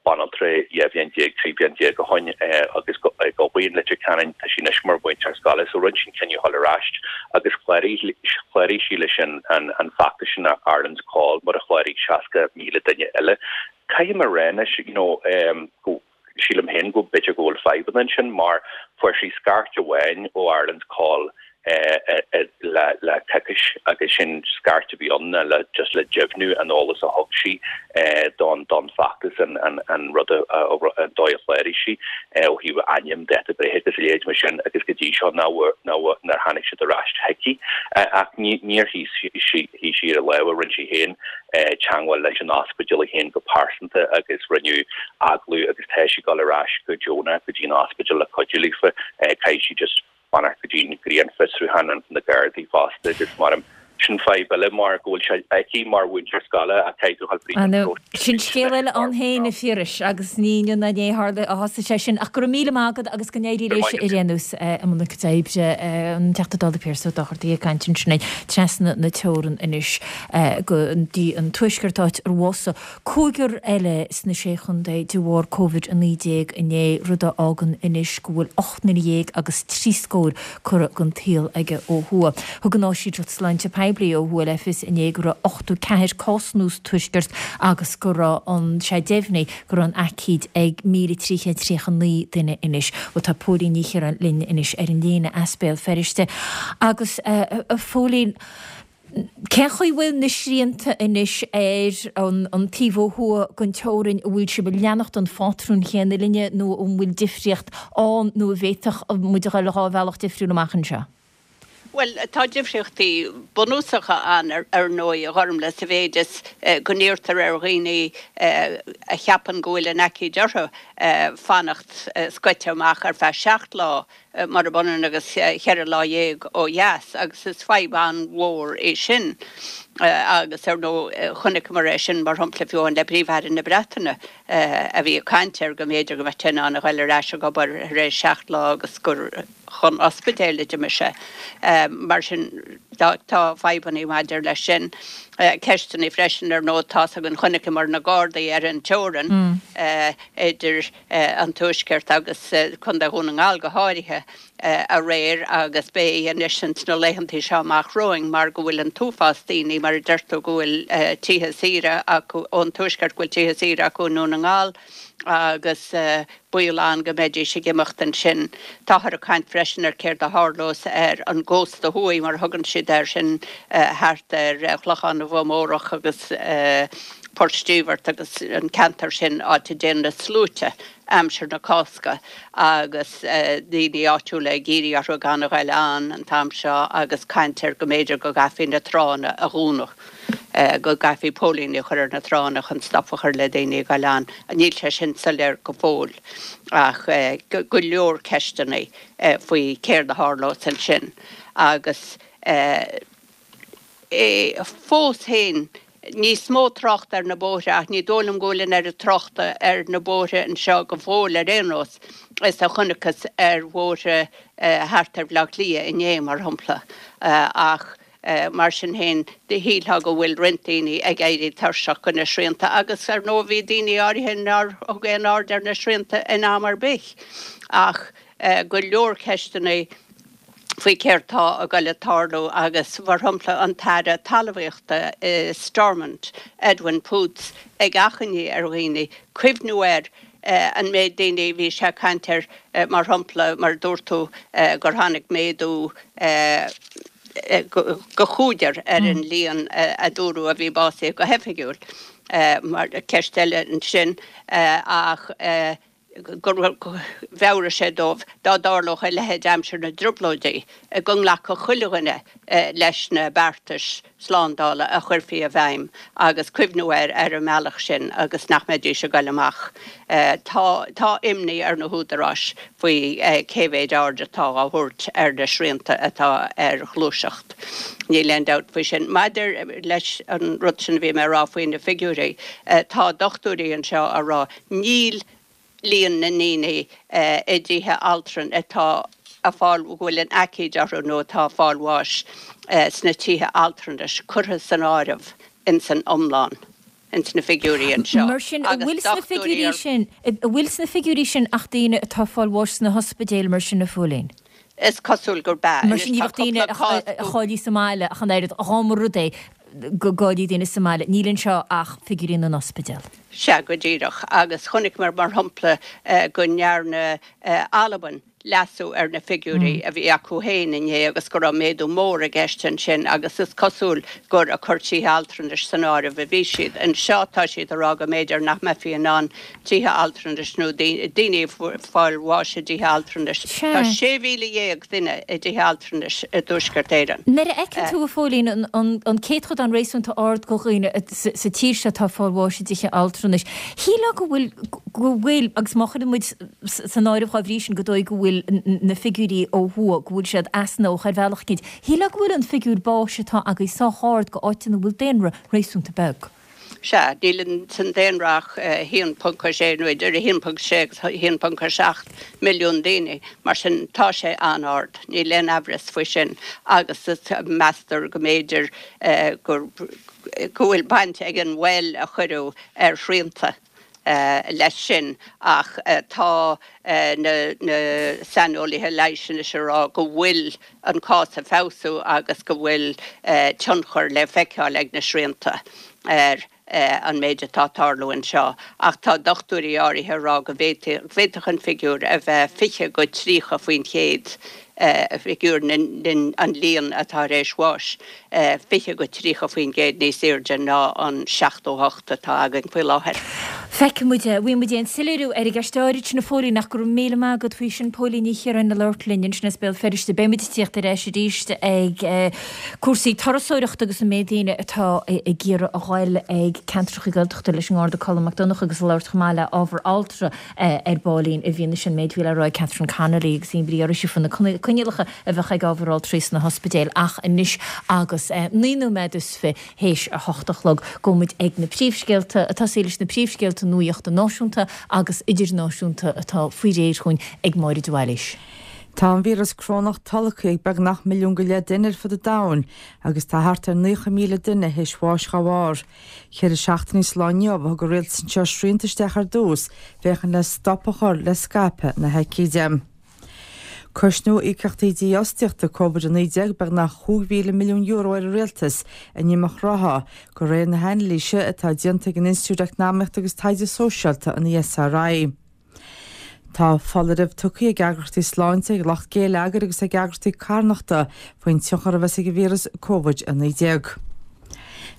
banaltra 12 bhliain, 13 bhliain ó shoin agus ag obair in Leitir Ceanainn, tá sí anois mar mhúinteoir scoile, so rinne sí an cinneadh dhul ar ais agus chláraigh sí leis an feachtas sin Ireland's Call mar a chláraigh 60,000 duine eile. Caithfidh mé a rá anois, you know, go, sílim féin go b'fhéidir go bhfuil fadhbanna ansin mar fuair sí scairt amháin ó Ireland's Call le coicís agus sin scairt a bhí ann ná le just le deimhniú an eolas a thug sí don don feachtas an an rud a an dóigh a chláraigh sí ó thaobh ainm, dáta breithe agus a leithéid mar sin agus go dtí seo nár nár tháinig siad ar ais chuici ach ní níor shuigh sí shuigh sí ar a lámha rinne sí féin teagmháil leis an ospidéal í féin go pearsanta agus rinneadh agallamh agus tá sí ag dul ar ais go deonach go dtí an ospidéal le cuidiú leofa. Caithfidh sí just fanacht go dtí an grinnfhiosrúchán na Gardaí fosta agus mar sin fadhb eile mar go bhfuil sé aici mar mhúinteoir scoile ach caithfidh tú dhul fríd an próiseas. Sin scéal eile ann féin, a Phiarais, agus ní inniu ná inné a tharla a thosaigh sé sin. Ach go raibh míle maith agat agus go n-éirí leis ar aon nós i mbun a cuid oibre. An Teachta Dála Piaras Ó Dochartaigh ag caint ansin trasna na teorann anois go dtí an Tuaisceart áit ar bhásaigh cúigear eile sna Sé Chontae de bharr Covid-19 inné, rud a fhágann anois go bhfuil 18 nduine agus trí scór curtha den tsaol aige ó thuaidh. Thug an Áisínteacht Sláinte Poiblí ó thuaidh le fios inné go raibh 84 cás nua sa Tuaisceart agus go raibh an sé deimhnithe go raibh an aicíd ag 1,339 duine anois. Bhuel tá Póilín Ní Chiaráin linn anois ar an líne as Béal Feirste agus a Phóilín, Cén chaoi a bhfuil na srianta anois ar an taobh ó thuaidh den teorainn, an bhfuil sibh ag leanacht an phátrúin chéanna linne nó an bhfuil difríocht ann nó an bhféadfadh muid a dhul dhá bhealach difriúil amach anseo? Bhuel, tá difríochtaí bunúsacha ann ar ndóigh, a Ghormlaith, sa mhéid is go n-iarrtar ar dhaoine a cheapann go bhfuil an aicíd orthu fanacht scoite amach ar feadh 7 lá murab ionann agus cheithre lá dhéag ó dheas, agus is fadhb an-mhór é sin. Agus ar ndóigh, chonaiceamar é sin, mar shampla, fiú amháin le Príomh-Aire na Breataine a bhí ag caint ar go mb'fhéidir go mbeadh sé in ann a ghoil ar ais ag obair tar éis seacht lá agus gur chun ospidéil a d'imigh sé. Mar sin, tá fadhbanna maidir leis sin. Ceisteanna freisin, ar ndóigh, tá's againn, chonaiceamar na Gardaí ar an teorainn idir an Tuaisceart agus Contae Dhún na nGall go háirithe aréir agus beidh anois ins na laethantaí seo amach romhainn mar go bhfuil an t-uafás daoine, mar a deir tú, go bhfuil tithe saoire acu ón Tuaisceart, go bhfuil tithe saoire acu i nDún na nGall agus baol ann go mbeidís ag imeacht ansin. Táthar ag caint freisin ar céard a tharlós ar an gcósta thuaidh, mar a thugann siad air, sin thart ar Chlochán na bhFomhórach agus Port Stíobhart agus an ceantar sin, áit a dtéann na sluaite aimsir na Cásca agus daoine áitiúla ag iarraidh orthu gan a ghoil ann an t-am seo agus caint ar go mb'fhéidir go gcaithfí na tránna a dhúnadh. go gcaithfí póilíní a chur ar na tránna chun stop a chur le daoine ag goil ann. Níl sé sin soiléir go fóill ach go leor ceisteanna faoi céard a tharlós ansin agus fós féin níos mó tráchta ar na bóithre ach ní dóigh liom go bhfuil an oiread tráchta ar na bóithre anseo go fóill ar aon nós is a chonacthas ar bhóithre thart ar Bhaile Átha Cliath inné mar shampla ach Mar sin féin, shílfeá go bhfuil roinnt daoine ag éirí tuirseach de na srianta agus, ar ndóigh, bhí daoine áirithe nár thug aon aird ar na srianta in am ar bith. Ach go leor ceisteanna faoi céard tá ag goil ag tarlú agus, mar shampla, an tAire Talmhaíochta i Stormont, Edwin Poots, ag achainí ar dhaoine cuimhniú ar an méid daoine a bhí sé ag caint air, mar shampla, mar a dúirt tú, gur tháinig méadú. go chúigear ar an líon a dúradh a bhí básaithe go hoifigiúil, mar ceist eile ansin, ach gur mheabhraigh sé dóibh dá dtarlódh a leithéid aimsir na dTrioblóidí, go nglacfadh chuile dhuine leis na beartais slándála a chuirfí i bhfeidhm agus cuimhniú air ar an mbealach sin agus nach mbeidís ag goil amach. Tá tá imní ar na húdaráis faoi cé mhéid aird atá á thabhairt ar na srianta atá ar ghluaiseacht. Níl aon dabht faoi sin. Maidir leis an rud sin a bhí mé a rá faoi na figiúirí, tá dochtúirí anseo á rá, níl líon na ndaoine i dtithe altranais atá ag fáil, go bhfuil an aicíd orthu nó atá ag fáil bháis sna tithe altranais curtha san áireamh ins an iomlán. ins na figiúirí anseo. Mar sin, an bhfuil sna figiúirí sin, an bhfuil sna figiúirí sin ach daoine atá ag fáil bháis sna hospidéil mar sin, a Phóilín? Is cosúil gurb ea. Mar sin, ní bheadh daoine a cháiligh sa mbaile ach an oiread, dá mba rud é go gcáiligh daoine sa mbaile. Níl anseo ach figiúirí na n-ospidéal. Sea, go díreach. Agus chonaiceamar, mar shampla, go ndearna Albain leasú ar na figiúirí a bhí acu féin inné agus go raibh méadú mór i gceist ansin agus is cosúil gur ag cur tithe altranais san áireamh a bhí siad. Anseo tá siad ag rá go mb'fhéidir nach mbeifí in ann tithe altranais nó daoine ag fáil bháis i dtithe altranais. Tá 16,000 duine i dtithe altranais i dTuaisceart Éireann. Nuair a fheiceann tú, a Phóilín, an céatadán réasúnta ard de dhaoine sa tír seo atá ag fáil bháis i dtithe altranais, shílfeá go bhfuil, go bhfuil, agus má chuireann muid san áireamh dá bhrí sin go dóigh go bhfuil na figiúirí ó thuaidh, go bhfuil siad easnamhach ar bhealach eicínt. Shílfeá go bhfuil an figiúr báis atá agaibh sách ard go áit ina bhfuil daonra réasúnta beag. Sea, níl san daonra ach 1.6 nó idir 1.6 agus 1.7 milliún daoine, mar sin tá sé an-ard, níl aon aimhreas faoi sin agus meastar go mb'fhéidir go bhfuil baint ag an mhoill a cuireadh ar shrianta. leis sin ach tá na saineolaithe leighis anois ag rá go bhfuil an cás ag feabhsú agus go bhfuil tionchar le feiceáil ag na srianta ar an méid atá ag tarlú anseo ach tá dochtúirí áirithe ag rá go bhféadfadh an figiúr a bheith 20-30%, figiúr an líon atá tar éis bháis. 20-30% níos airde ná an 78 atá againn faoi láthair. Feicfidh muid é. Bhfaighidh muid aon soiléiriú ar an gceist áirid sin, a Phóilín, ach go raibh míle maith agat faoi sin. Póilín Ní Chiaráin ag labhairt linn ansin as Béal Feirste. Beidh muid ag tíocht ar ais arís ag cúrsaí turasóireachta agus an méid daoine atá ag iarraidh a ghoil ag ceantracha Gaeltachta leis an nGarda Colm Mac Donncha agus ag labhairt chomh maith le ábhar altra ar baillín i bhfianaise an méid a bhí le rá ag Catherine Connolly agus imní uirthi faoi na coinníollacha a bheadh ag ábhar altraí sna hospidéil ach anois agus 9 nóiméad is fi théis a hocht a chlog gabhfaidh muid ag na príomhscéalta, ag tosaí leis na príomhscéalta nuaíochta náisiúnta agus idirnáisiúnta atá faoi réir chugainn ag Máire de Bhailís. Tá an víreas corónach tolgtha ag beagnach 1.5 milliún duine ar fud an domhain agus tá thart ar 90,000 duine théis bháis dá bharr. Cheithre seachtainí sa lá inniu a thug an rialtas anseo srianta isteach ar dtús féachaint le stop a chur le scaipeadh na haicíde. Cosnóidh íocaíochtaí dífhostaíochta Covid-19 beagnach €5,000 milliún ar an rialtas in imeacht rátha, de réir na hanailíse atá déanta ag an Institiúid Eacnamaíochta agus Taighde Sóisialta, an ESRI. Tá foláireamh tugtha ag eagraíochtaí sláinte, ag lucht géilleagair agus ag eagraíochtaí carthanachta faoin tionchar a bheas ag an víreas Covid-19.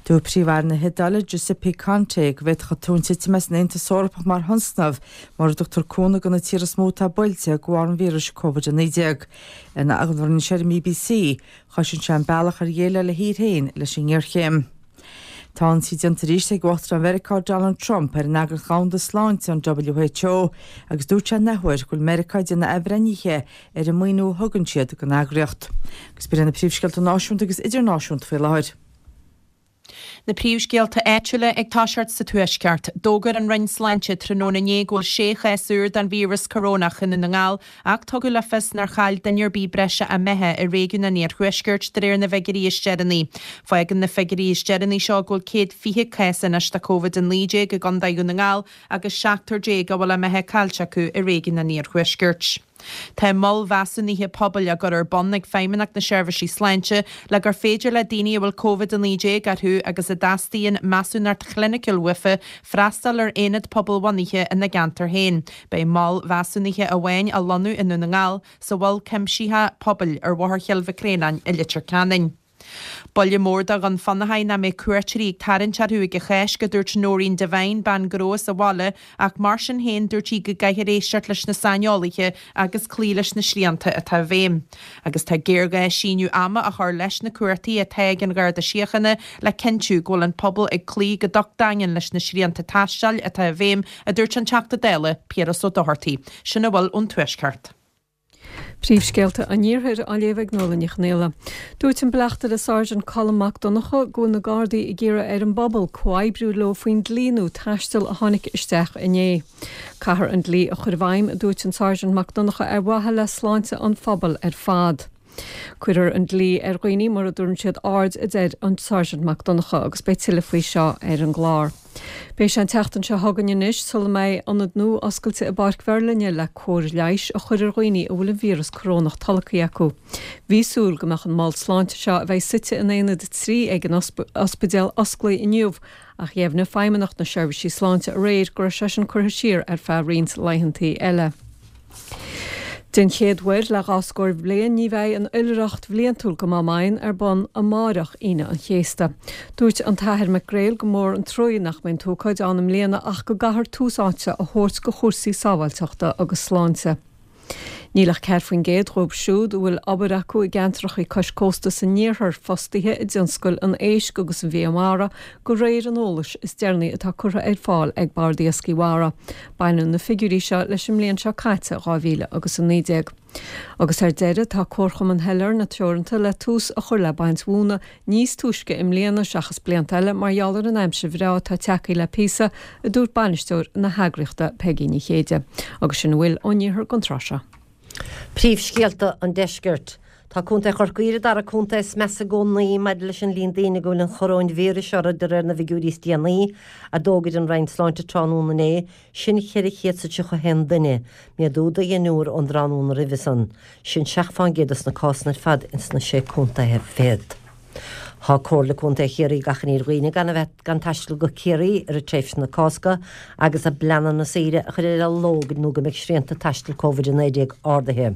Dúirt Príomh-Aire na hIodáile, Giuseppe Conte, go bhféadfadh an tóin titim as an Aontas Eorpach mar thionscnamh mura dtugtar cúnamh do na tíortha is mó atá buailte de bharr an víris Covid-19. In agallamh a rinne sé ar an mBBC, chosain sé an bealach ar dhéileáil a thír féin leis an ngéarchéim. Tá ionsaí déanta arís ag Uachtarán Mheiriceá Donald Trump ar an Eagraíocht Dhomhanda Sláinte, an WHO, agus dúirt sé an athuair go bhfuil Meiriceá ag déanamh athbhreithnithe ar an maoiniú a thugann siad don eagraíocht. Agus b'in iad na príomhscéalta náisiúnta agus idirnáisiúnta faoi láthair. Na príomhscéalta áitiúla ag toiseacht sa Tuaisceart. D'fhógair an Roinn Sláinte tráthnóna inné go bhfuil sé chás úr den víreas corónach i nDún na nGall ach tugadh le fios nár chaill duine ar bith breise a mbeatha i réigiún an Iarthuaiscirt de réir na bhfigiúirí is deireanaí. Fágann na figiúirí is deireanaí seo go bhfuil 120 cás anois de Covid-19 i gContae Dhún na nGall agus seachtar déag a bhfuil a mbeatha caillte acu i réigiún an Iarthuaiscirt. Tá moil mheasúnaithe pobail á gcur ar bun ag Feidhmeannacht na Seirbhísí Sláinte le gur féidir le daoine a bhfuil Covid-19 orthu agus a dteastaíonn measúnacht chliniciúil uafa freastal ar aonad pobalbhunaithe ina gceantar féin. Beidh mol mheasúnaithe amháin á lonnú i nDún na nGall, sa Mhol Cuimsitheach Pobail ar Bhóthar Chill Mhic Réanáin i Leitir Ceanainn. Buille mór do Dhún Fionnachaidh nach mbeidh cuairteoirí ag tarraingt orthu ag an Cháisc, a dúirt Noreen Devine, bean gnó as an bhaile, ach mar sin féin dúirt sí go gcaithfear éisteacht leis na saineolaithe agus cloí leis na srianta atá i bhfeidhm. Agus tá géarghá síneadh ama a chur leis na cuartaí atá ag an Gharda Síochána le cinntiú go bhfuil an pobal ag cloí go docht daingean leis na srianta taistil atá i bhfeidhm, a dúirt an Teachta Dála, Piaras Ó Dochartaigh. Sin a bhfuil ón Tuaisceart. Príomhscéalta an Iarthair á léamh ag Nuala Ní Chonghaile. Dúirt an Bleachtaire Sáirsint Colm Mac Donncha go bhfuil na Gardaí ag iarraidh ar an bpobal comhoibriú leo faoin dlí nua taistil a tháinig isteach inné. Caithfear an dlí a chur i bhfeidhm, a dúirt an Sáirsint Mac Donncha, ar mhaithe le sláinte an phobail ar fad. Cuirfear an dlí ar dhaoine mura dtabharann siad aird, a deir an Sáirsint Mac Donncha agus beidh tuilleadh faoi seo ar an gclár. Beidh sé an tseachtain seo chugainn anois sula mbeidh ionad nua oscailte i bPáirc Mheirlinne le cóir leighis a chur ar dhaoine a bhfuil an víreas corónach tolgtha acu. Bhí súil go mbeadh an mol sláinte seo, a bheidh suite in Aonad 3 ag an ospidéal, osclaithe inniu ach dheimhnigh Feidhmeannacht na Seirbhísí Sláinte aréir go raibh sé sin curtha siar ar feadh roinnt laethantaí eile. Den chéad uair le dhá scór bliain ní bheidh an oilithreacht bhliantúil go Máigh Mheáin ar bun amáireach, Aoine an Chéasta. Dúirt an tAthair Mac Gréil gur mór an truaí nach mbeidh an t-ócáid ann i mbliana ach go gcaithfear tús áite a thabhairt go chúrsaí sábháilteachta agus sláinte. Níl ach 4% dhóibh siúd a bhfuil obair acu i gceantracha cois cósta san iarthar fostaithe i dtionscail an éisc agus an bhia mara, de réir an eolais is deireanaí atá curtha ar fáil ag Bord Iascaigh Mhara. Baineann na figiúirí seo leis an mbliain seo caite, 2019. Agus ar deireadh, tá Comharchumann Shailearna Teoranta le tús a chur le baint mhóna níos túisce i mbliana seachas blianta eile mar gheall ar an aimsir bhreá atá tagtha le píosa, a dúirt bainisteoir na heagraíochta, Peigí Ní Chéide. Agus sin a bhfuil ón iarthar don tráth seo. Príomhscéalta an Deiscirt. Tá Contae Chorcaí ar an dara contae is measa i gcónaí maidir leis an líon daoine go bhfuil an choróinvíris orthu de réir na bhfigiúirí is déanaí a d'fhógair an Roinn Sláinte tráthnóna inné, sin 431 duine, méadú de dheichniúr ón dtráthnóna roimhe san. Sin 7 fán gcéad dos na cásanna ar fad ins na Sé Contaetha Fichead. Tá Comhairle Contae Chiarraí ag achainí ar dhaoine gan a bheith gan taisteal go Ciarraí i rith tréimhse na Cásca agus a bpleananna saoire a chur ar athló nó go mbeidh srianta taistil Covid-19 ardaithe.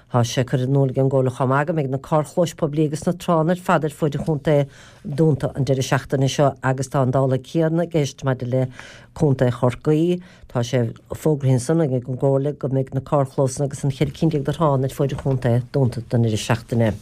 Tá sé curtha in iúl ag an gComhairle chomh maith go mbeidh na carrchlóis poiblí agus na tránna ar fad ar fuaid an chontae dúnta an deireadh seachtaine seo agus tá an dála céanna i gceist maidir le Contae Chorcaí. Tá sé fógraithe ansan ag an gComhairle go mbeidh na carrchlósanna agus an 14 cinn de thránna ar fuaid an chontae dúnta don deireadh seachtaine.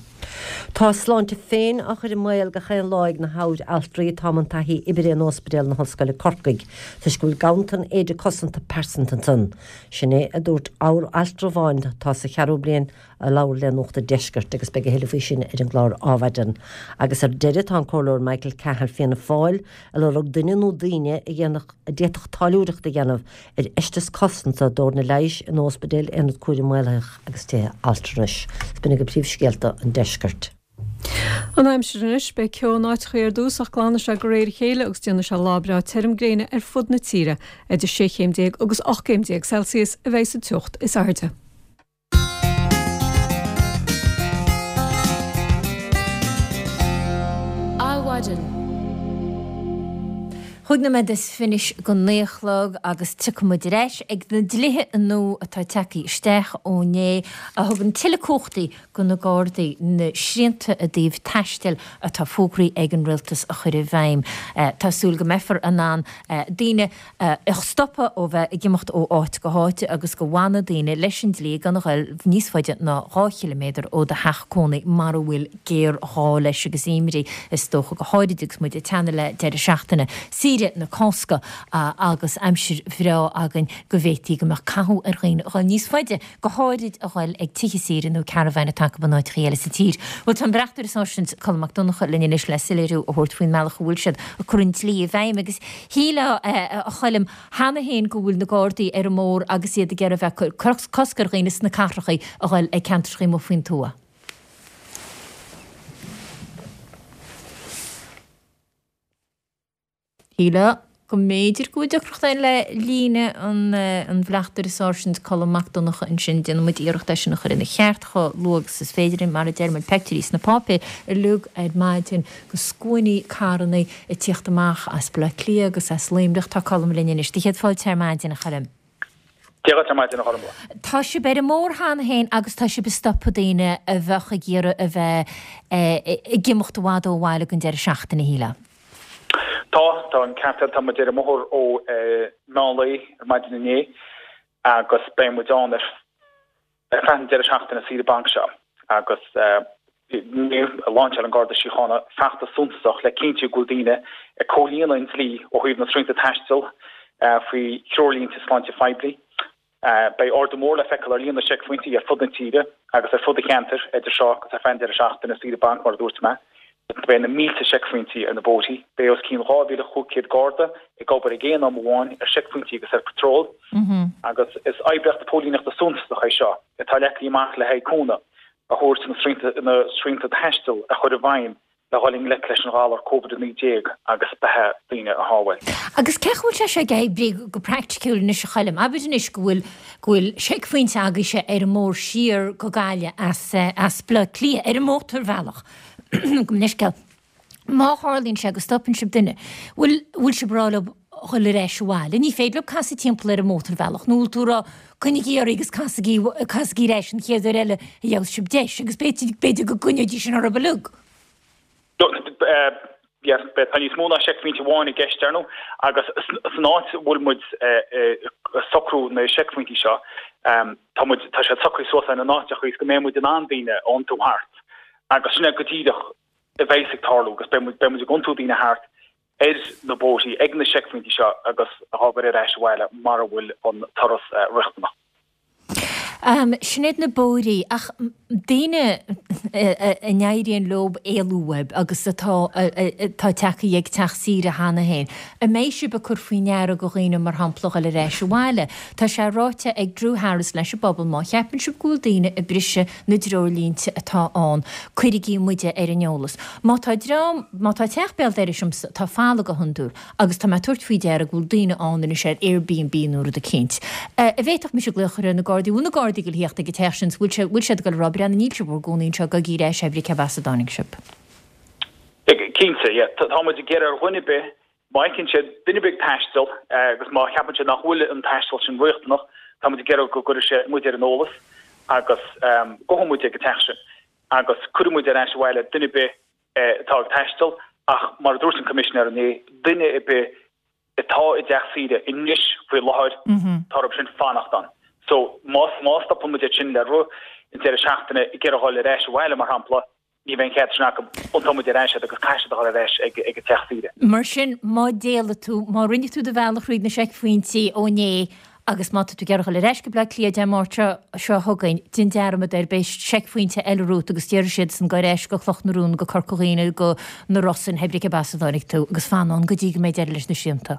Tá a sláinte féin á chur i mbaol gach aon lá ag na habhaltraí atá i mbun taithí oibre in Ospidéal na hOllscoile Corcaigh toisc go bhfuil ganntan éide cosanta pearsanta ansan. Sin é a dúirt altra amháin atá sa cheathrú bliain. A labhair le Nuacht an Deiscirt agus beidh a thuilleadh faoi sin ar an gclár Adhmhaidin. Agus ar deireadh tá an Comhairleoir Michael Cahill Fianna Fáil ag lorg duine nó daoine a dhéanfadh a d'fhéadfadh táilliúireacht a dhéanamh ar fheisteas cosanta d'fhoirne leighis in ospidéil, aonad cúraim mhaolaithigh agus tithe altranais. B'in agaibh príomhscéalta an deiscirt. An aimsir anois, beidh ceo in áiteachaí ar dtús ach glanfaidh sé de réir a chéile agus déanfaidh sé lá breá tirim gréine ar fud na tíre. Idir 16 chéim agus 18 gcéim Celsius a bheidh sa teocht is airde. Adhmhaidin. Chúig nóiméad is fiche go naoi a chlog agus tiocfaidh muid ar ais ag na dlíthe nua atá tagtha isteach ó inné a thugann tuilleadh cumhachtaí do na Gardaí na srianta i dtaobh taistil atá fógraithe ag an Rialtas a chur i bhfeidhm. Tá súil go mbeifear in ann daoine a stopadh ó bheith ag imeacht ó áit go háit agus go bhfanfaidh daoine leis an dlí gan a ghoil níos faide ná 2 chiliméadar ó do theach cónaí mara bhfuil géarghá leis agus imní is dócha go háirid agus muid ag teannadh le deireadh seachtaine saoire na Cásca agus aimsir bhreá againn go bhféadfaí go mbeadh cathú ar dhaoine a ghoil níos faide go háirid a ghoil ag tithe saoire nó caravain atá acu in áiteachaí eile sa tír. Bhuel, tá an Bleachtaire Sáirsint Colm Mac Donncha linn anois le soiléiriú a thabhairt faoin mbealach a bhfuil siad ag cur an dlí i bhfeidhm agus shílfeá, a Choilm, cheana féin go bhfuil na Gardaí ar an mbóthar agus iad ag iarraidh a bheith ag cur cosc ar dhaoine sna cathrachaí a ghoil ag ceantrachaí amuigh faoin tuath. Shílfeá go mb'fhéidir go bhfuil deacracht ann le líne an Bhleachtaire Sáirsint Colm Mac Donncha ansin. Déanfaidh muid iarracht é sin a chur ina cheart chomh luath agus is féidir linn. Mar a deir muid, feictear sna páipéir uilig ar maidin go scuainí carrannaí ag tíocht amach as Baile Átha Cliath agus as Luimneach. Tá Colm linn anois. Do chéad fáilte ar maidin, a Choilm. Dia dhuit ar maidin, a Ghormfhlaith. Tá sibh ar an mbóthar cheana féin agus tá sibh ag stopadh daoine a bheadh ag iarraidh a bheith ag imeacht i bhfad ó bhaile don deireadh seachtaine, shílfeá. Tá, tá an ceart agat. Tá muid ar an mbóthar ó meán lae ar maidin inné agus beidh muid ann ar Ar feadh an deireadh seachtaine saoire bainc seo agus inniu, lainseáil an Garda Síochána feachtas suntasach le cinntiú go bhfuil daoine ag comhlíonadh an dlí ó thaobh na srianta taistil faoi threoirlínte sláinte phoiblí. Beidh ardú mór le feiceáil ar líon na seicphointí ar fud na tíre agus ar fud an cheantair idir seo agus ar feadh an deireadh seachtaine saoire bainc mar a dúirt mé. Beidh na mílte seicphointí ar na bóithrí. Beidh os cionn 2,500 Garda ag obair ag aon am amháin ar seicphointí agus ar patról. Agus is oibríocht póilíneachta suntasach é seo atá leagtha amach le haghaidh cúnamh a thabhairt na srianta taistil a chur i bhfeidhm le dhul i ngleic leis an ghalar Covid-19 agus beatha daoine a shábháil. Agus cén chaoi a bhfuil sé seo ag oibriú go praiticiúil anois a Choilm? Abair anois go bhfuil go bhfuil seicphointe agaibhse ar an mbóthar siar go Gaillimh as as Baile Átha Cliath ar an mótarbhealach. Gabh mo leithscéal. Má tharlaíonn sé go stopann sibh duine, bhfuil bhfuil sibh ag rá leo dhul ar ais abhaile? Ní féidir leo casadh timpeall ar an mótarbhealach nó bhfuil tú ag rá coinnigí oraibh agus casaigí casaigí ar ais an chéad uair eile a gheobhas sibh deis agus b'fhéidir b'fhéidir go gcoinneoidís sin orthu uilig. Yes, tá níos mó ná seicphointe amháin i gceist, ar ndóigh, agus san áit a bhfuil muid ag socrú na seicphointí seo, tá muid, tá siad socraithe suas ina n-áiteacha is go mbeidh muid in ann daoine a iontú thart agus sin é go díreach a bheas ag tarlú agus beidh muid, beidh muid ag iontú daoine thart ar na bóithrí ag na seicphointí seo agus á gcur ar ais abhaile mara bhfuil an turas riachtanach. Sin iad na bóithrí, ach daoine a n-éiríonn leo éalú uaibh agus atá atá tagtha ag teach saoire cheana féin, an mbeidh sibh ag cur faoi ndeara go dhaoine mar shampla dhul ar ais abhaile? Tá sé ráite ag Drew Harris leis an bpobal má cheapann sibh go bhfuil daoine ag briseadh na dtreoirlínte atá ann, cuirigí muide ar an eolas. Má tá dream, má tá teach béal dorais agamsa atá folamh go hiondúil, Agus tá mé ag tabhairt faoi deara go bhfuil daoine ann anois ar Airbnb nó rud eicínt. An bhféadfadh mise glaoch ar na Gardaí? Bhfuil na Gardaí ag dul a theacht ag an teach sin? Bhfuil sé, bhfuil siad ag dul a rá, breathnaigh, níl sibh bhur gcónaí anseo, gabhaigí ar ais, pé cé as a dtáinig sibh? Cinnte, yeah. Tá muid ag iarraidh ar dhuine ar bith, má fheiceann siad duine ar bith ag taisteal agus má cheapann siad nach bhfuil an taisteal sin riachtanach, tá muid ag iarraidh go gcuirfidh siad muid ar an eolas agus gabhfaidh muid ag an teach sin agus cuirfidh muid ar ais abhaile duine ar bith atá ag taisteal ach mar a dúirt an Coimisinéir inné, duine ar bith atá i dteach saoire anois faoi láthair, tá orthu sin fanacht ann. So má má stopann muid iad sin le rith an deireadh seachtaine ag iarraidh dhul ar ais abhaile mar shampla, ní bheidh an cead sin acu, iontóidh muid ar ais iad agus caithfidh siad a dhul ar ais ag ag an teach saoire. Mar sin, má d'éalaigh tú, má rinne tú do bhealach thríd na seicphointí ó inné. Agus má tá tú ag iarraidh a dhul ar ais go Bleá Cliath Dé Máirt seo seo chugainn, déan dearmad air, beidh seicphointe eile romhat agus déarfaidh siadsan gabh ar ais go Cloch na Rún, go Corca Dhuibhne, go na Rosann, pé brí cé as a dtáinig tú, agus fan ann go dtí go mbeidh deireadh leis na srianta.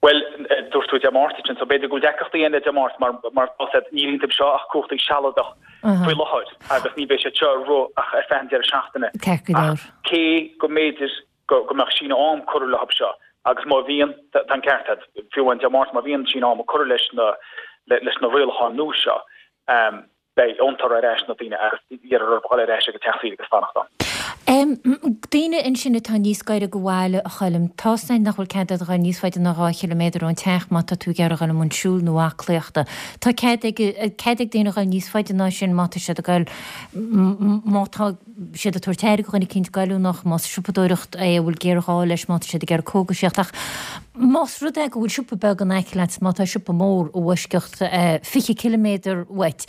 Bhuel, dúirt tú Dé Máirt ansin, so b'fhéidir go bhfuil deacrachtaí ann le Dé Máirt mar mar tá siad, níl iontu seo ach cumhachtaí sealadach faoi láthair agus ní bheidh siad seo ag rith ach ar feadh an deireadh seachtaine. Ceart go leor. Ach cé go mb'fhéidir go go mbeadh síneadh am curtha leo seo agus má bhíonn, tá an ceart agat, fiú amháin Dé Máirt má bhíonn síneadh ama curtha leis na leis na rialacháin nua seo, beidh iontu ar ais na daoine agus iarrfar orthu dhul ar ais ag an teach saoire agus fanacht ann. Daoine ansin atá níos gaire go bhaile, a Choilm, tá's againn nach bhfuil cead agat a dhul níos faide ná 2 chiliméadar ón teach má tá tú ag iarraidh a dhul i mbun siúil nó aclaíochta. Tá cead ag cead ag daoine a dhul níos faide ná sin má tá siad ag dul má tá siad ag tabhairt aire do dhuine eicínt goilliúnach, más siopadóireacht é a bhfuil géarghá leis, má tá siad ag iarraidh cógaisíocht. Ach más rud é go bhfuil siopa beag in aice leat, má tá siopa mór i bhfoisceacht 20 ciliméadar uait,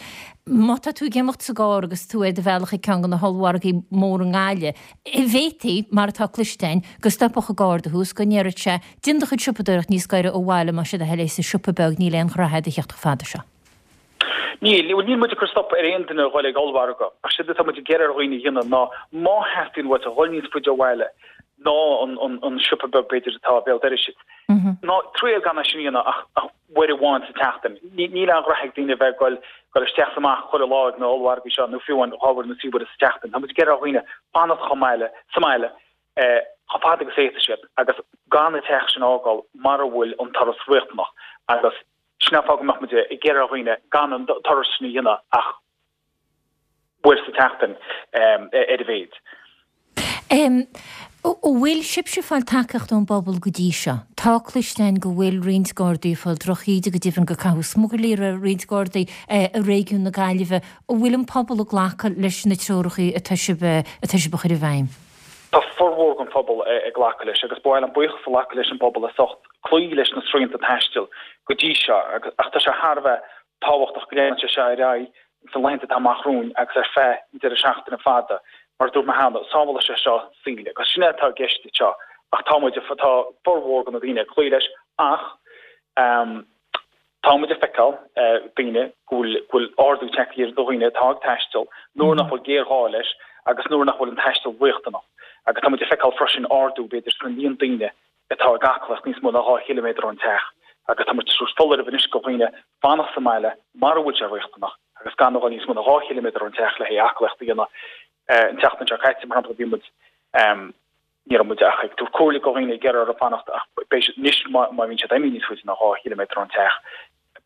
má tá tú ag imeacht sa gcarr agus tú ar do bhealach ag ceann de na hollmhargaí móra i nGaillimh, bhféadfaí, mar atá cloiste againn, go stopfadh an Garda thú is go ndéarfadh sé, déan do chuid siopadóireacht níos gaire ó bhaile, más é do thoil é sa siopa beag, níl aon ghraithe a'd a theacht chomh fada seo. Níl, bhuel níl muid ag cur stop ar aon duine a dhul ag ollmhargadh, ach séard atá muid ag iarraidh ar dhaoine a dhéanamh ná má theastaíonn uait a dhul níos faide ó bhaile ná an siopa beag b'fhéidir atá béal dorais duit, ná triail gan é sin a dhéanamh ach uair amháin sa tseachtain. Níl aon ghraithe ag daoine a bheith ag dul dul isteach is amach chuile lá ag na ollmhargaí seo nó fiú amháin dhá uair nó trí huaire sa tseachtain. Tá muid ag iarraidh ar dhaoine fanacht chomh maith sa mbaile chomh fada agus a fhéadfaidh siad agus gan an teach sin a fhágáil mara bhfuil an turas riachtanach agus Sin an fáth go mbeadh muid ag iarraidh ar dhaoine gan an turas sin a dhéanamh ach uair sa tseachtain ar a mhéid. An bhfuil sibhse ag fáil tacaíocht ón bpobal go dtí seo? Tá cloiste againn go bhfuil roinnt Gardaí ag fáil drochíde, go deimhin gur caitheadh smugairlí ar roinnt Gardaí i réigiún na Gaillimhe. An bhfuil an pobal ag glacadh leis na treoracha atá sibh atá sibh a chur i bhfeidhm? Tá formhór den phobal ag glacadh leis agus ba mhaith liom buíochas a ghlacadh leis an bpobal as ucht cloí leis na srianta taistil go dtí seo ach tá sé thar a bheith tábhachtach go leanann sé seo ar aghaidh sna laethanta atá amach romhainn agus ar feadh an deireadh seachtaine fada. Mar a dúirt mé cheana, sábhálfaidh sé seo saoil agus sin é atá i gceist anseo ach tá muid, tá formhór de na daoine ag cloí leis ach Tá muid ag feiceáil daoine go bhfuil go bhfuil ardú tagtha ar dhaoine atá ag taisteal nuair nach bhfuil géarghá leis agus nuair nach bhfuil an taisteal riachtanach. Agus tá muid ag feiceáil freisin ardú b'fhéidir sna líon daoine atá ag aclaíocht níos mó ná 2 chiliméadar ón teach agus tá muid ag tabhairt foláireamh anois go dhaoine fanacht sa mbaile mara bhfuil sé riachtanach agus gan a dhul níos mó ná 2 chiliméadar ón teach le haghaidh aclaíocht a dhéanamh. An tseachtain seo caite, mar shampla, bhí muid. Ní raibh muid ach ag tabhairt comhairle go dhaoine ag iarraidh orthu fanacht ach beidh siad anois má bhíonn siad imithe níos faide ná 2 chiliméadar ón teach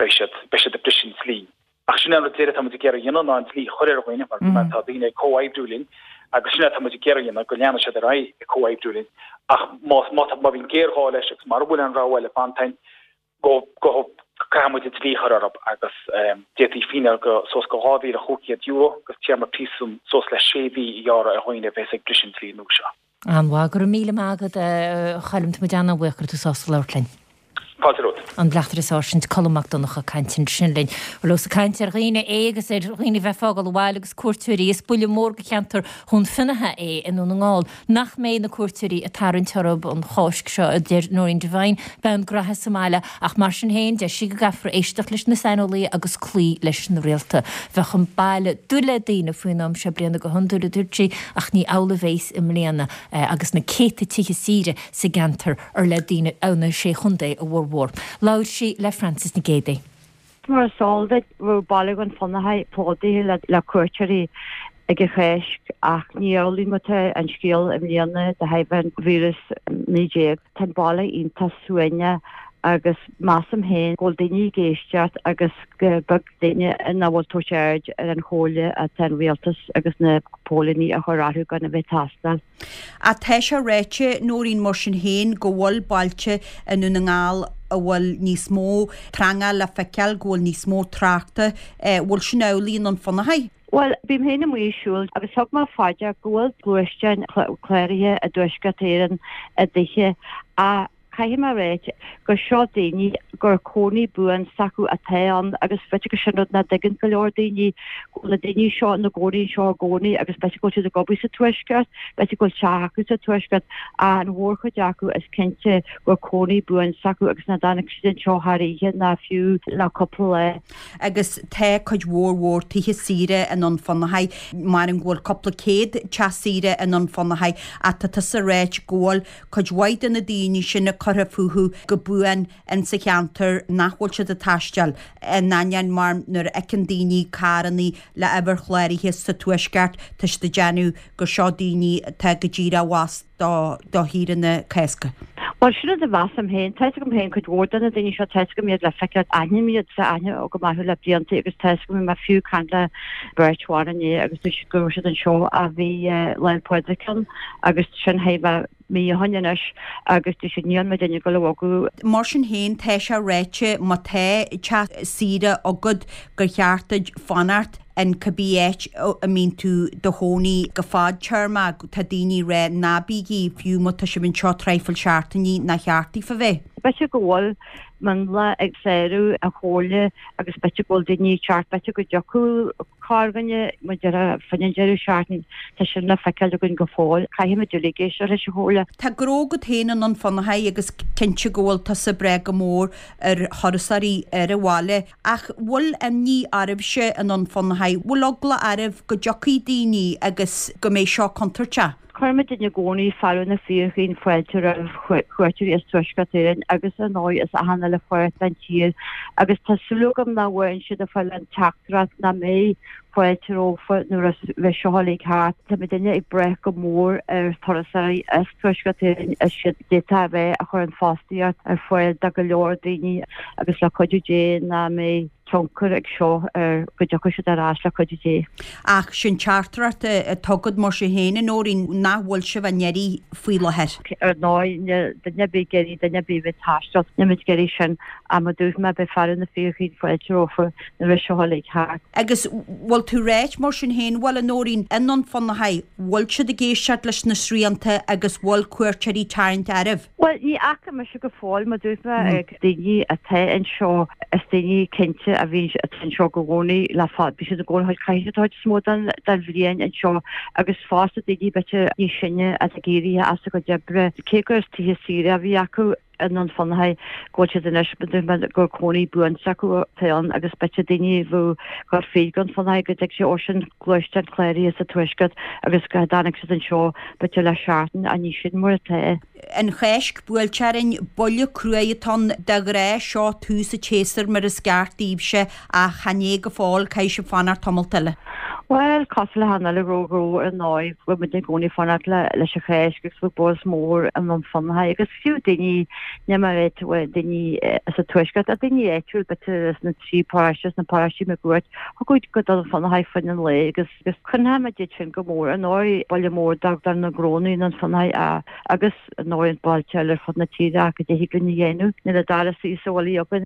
beidh siad beidh siad ag briseadh an dlí. Ach sin é an rud deiridh atá muid ag iarraidh a dhéanamh ná an dlí a chur ar dhaoine mar mar tá daoine ag comhoibriú linn agus sin é atá muid ag iarraidh a dhéanamh go leanfaidh siad ar aghaidh ag comhoibriú linn ach má má tá má bhíonn géarghá leis agus mara bhfuil aon rogha eile fanta againn go go caithfidh muid an dlí a chur orthu agus d'fhéadfaí fíneáil go suas go €2,500 agus téarma príosúin suas le sé mhí a ghearradh ar dhaoine a bheas ag briseadh an dlí nua seo. An-mhaith. Go raibh míle maith agat, a Choilm. Tá muid an-bhuíoch go raibh tú sásta labhairt linn. Fáilte romhat. An Bleachtaire Sáirsint Colm Mac Donncha ag caint ansin linn. Bhuel, ós ag caint ar dhaoine é agus ar dhaoine a bheith ag fágáil an bhaile agus cuairteoirí, is buille mór do cheantar Dhún Fionnaithe é i nDún na nGall. Nach mbeidh na cuairteoirí ag tarraingt orthu an Cháisc seo, a deir Nóirín Devine. Beidh an graithe sa mbaile, ach mar sin féin, deir sí go gcaithfear éisteacht leis na saineolaithe agus cloí leis na rialta. Bheadh an baile dubh le daoine faoin am seo bliana go hiondúil, a dúirt sí, ach ní amhlaidh a bheas i mbliana agus na céadta tithe saoire sa gceantar ar le daoine ó na Sé Chontae a bhformhór. Labhair sí le Frances Nic Géadaigh. Mar is eol duit, bheadh baile Dhún Fionnachaidh plódaithe le cuairteoirí ag an Cháisc ach ní amhlaidh mar atá an scéal i mbliana de thairbhe an víreas 19. Tá an baile iontach suaimhneach agus measaim féin go bhfuil daoine ag éisteacht agus gur beag duine nach bhfuil ag tabhairt aird ar an chomhairle atá an rialtas agus na póilíní a chur orthu gan a bheith ag taisteal. Ach tá sé ráite, Nóirín, mar sin féin, go bhfuil bailte i nDún na nGall a bhfuil níos mó trangáil le feiceáil, go bhfuil níos mó tráchta. Bhfuil sin amhlaidh i nDún Fionnachaidh? Bhuel, bím féin amuigh ag siúl agus thug mé fá dear go bhfuil gluaisteáin cláraithe i dTuaisceart Éireann i dtithe ach. Caithfidh mé a ráit gur seo daoine gur cónaí buan s'acu atá ann agus b'fhéidir gur sin rud nach dtuigeann go leor daoine, go bhfuil na daoine seo ina gcónaí anseo i gcónaí agus b'fhéidir go bhfuil siad ag obair sa Tuaisceart, b'fhéidir go bhfuil teach acu sa Tuaisceart ach an mhórchuid acu is cinnte gur cónaí buan s'acu agus nach dtáinig siad anseo thar oíche ná fiú le cúpla lá. Agus tá cuid mhór mhór tithe saoire i nDún Fionnachaidh, maram go bhfuil cúpla céad teach saoire i nDún Fionnachaidh ach tá tusa ag ráit go bhfuil cuid mhaith de na daoine sin a curtha fúthu go buan in sa cheantar nach bhfuil siad ag taisteal, in ainneoin mar nuair a fheiceann daoine carrannaí le uimhir chláraithe sa Tuaisceart tá siad ag déanamh gur seo daoine atá go díreach abhus do do shaoire na Cásca. Bhuel, sin rud a mheasaim féin. Tá 'fhios agam féin cuid mhór de na daoine seo, tá 'fhios agam iad le feiceáil, aithním iad, tá aithne agam orthu le blianta agus tá 'fhios agam, bhí mé fiú ag caint le beirt bhan inné agus dúirt siad go raibh siad anseo a bhí Lá 'le Pádraig ann agus sin chóir a bheith mí ó shoin anois agus dúirt siad níl muid ag dul a bhogadh. Mar sin féin, tá sé ráite má tá teach saoire agat gur cheart duit fanacht in cibé áit a mbíonn tú do chónaí go fadtéarmach. Tá daoine ag rá ná bígí, fiú má tá sibh anseo traidhfil seachtainí, nár cheart daofa bheith. B'fhéidir go bhfuil mionlach ag sárú an chomhairle agus b'fhéidir go bhfuil daoine ag teacht, b'fhéidir go dtiocfadh corrdhuine mar a déarfá fán deireadh seachtaine, tá sin le feiceáil againn go fóill. Caithfimid uilig éisteacht leis an chomhairle. Tá gnó agat féin i nDún Fionnachaidh agus cinnte go bhfuil tusa ag brath go mór ar thurasóirí ar an bhaile. Ach bhfuil imní oraibhse i nDún Fionnachaidh, bhfuil eagla oraibh go dtiocfaidh daoine agus go mbeidh seo contúirteach? Cuirimid i gcónaí fearadh na fíorchaoin fáilte roimh chuairteoirí as Tuaisceart Éireann agus ar ndóigh as achan uile pháirt den tír agus tá súil agam nach bhfaigheann siad ag fáil an teachtaireacht nach mbeidh fáilte rompu nuair a bheidh seo uilig thart. Tá muidinne ag brath go mór ar thurasóirí as Tuaisceart Éireann is siad d'fhéadfadh a bheith a chuireann fostaíocht ar fáil do go leor daoine agus le cuidiú Dé nach mbeidh tionchar ag seo ar go dtiocfaidh siad ar ais le cuidiú Dé. Ach sin teachtaireacht atá agat mar sin féin, a Nóirín, nach bhfuil sibh á n-iarraidh faoi láthair. Ar ndóigh, níl duine ar bith ag iarraidh duine ar bith a bheith ag taisteal, níl muid ag iarraidh sin, ach mar a dúirt mé, beidh fearadh na fíorchaoin fáilte rompu nuair a bheidh seo uilig thart. Agus bhfuil tú ráit mar sin féin, bhuel, a Nóirín, i nDún Fionnachaidh, bhfuil siad ag éisteacht leis na srianta agus bhfuil cuairteoirí tarraingt oraibh? Bhuel, ní fhaca mise go fóill, mar dúirt mé, ag daoine atá anseo, is daoine cinnte a bhíonn, atá anseo i gcónaí le fada, bíonn siad i gcónaí, caithfidh siad an chuid is mó den, den bhliain anseo agus fosta daoine b'fhéidir níos sine atá ag éirí as a gcuid oibre, cé gur tithe saoire a bhí acu i nDún Fionnachaidh, go bhfuil siad anois, mar dúirt mé, gur cónaí buan s'acu atá ann agus b'fhéidir daoine a bheadh ag dul fríd Dhún Fionnachaidh go dtig sé ó sin gluaisteán cláraithe sa Tuaisceart agus go dtáinig siad anseo b'fhéidir le seachtain ach ní sin mar atá. An Cháisc buailte orainn, buille cruaidh atá ann de ghnáth seo tús an tséasúir mar is ceart daoibhse ach chan é go fóill, caithfidh sibh fanacht tamalt eile. Bhuel, cosúil le achan uile ghnó ar ndóigh, bhfuil muid i gcónaí ag fanacht leis an Cháisc agus bhfuil buzz mór i nDún Fionnachaidh agus fiú daoine, ní mar bhuel daoine sa Tuaisceart, ach daoine áitiúil b'fhéidir sna trí paróiste, sna paróistí máguaird, thiocfadh go Dún Fionnachaidh faoin an lae agus agus coinneoimid iad sin go mór. Ar ndóigh, baile mór do na gnónna i nDún Fionnachaidh agus ar ndóigh an bailte eile ar fud na tíre ach go dtig linn a dhéanamh. Níl an dara suí sa bhaile againn.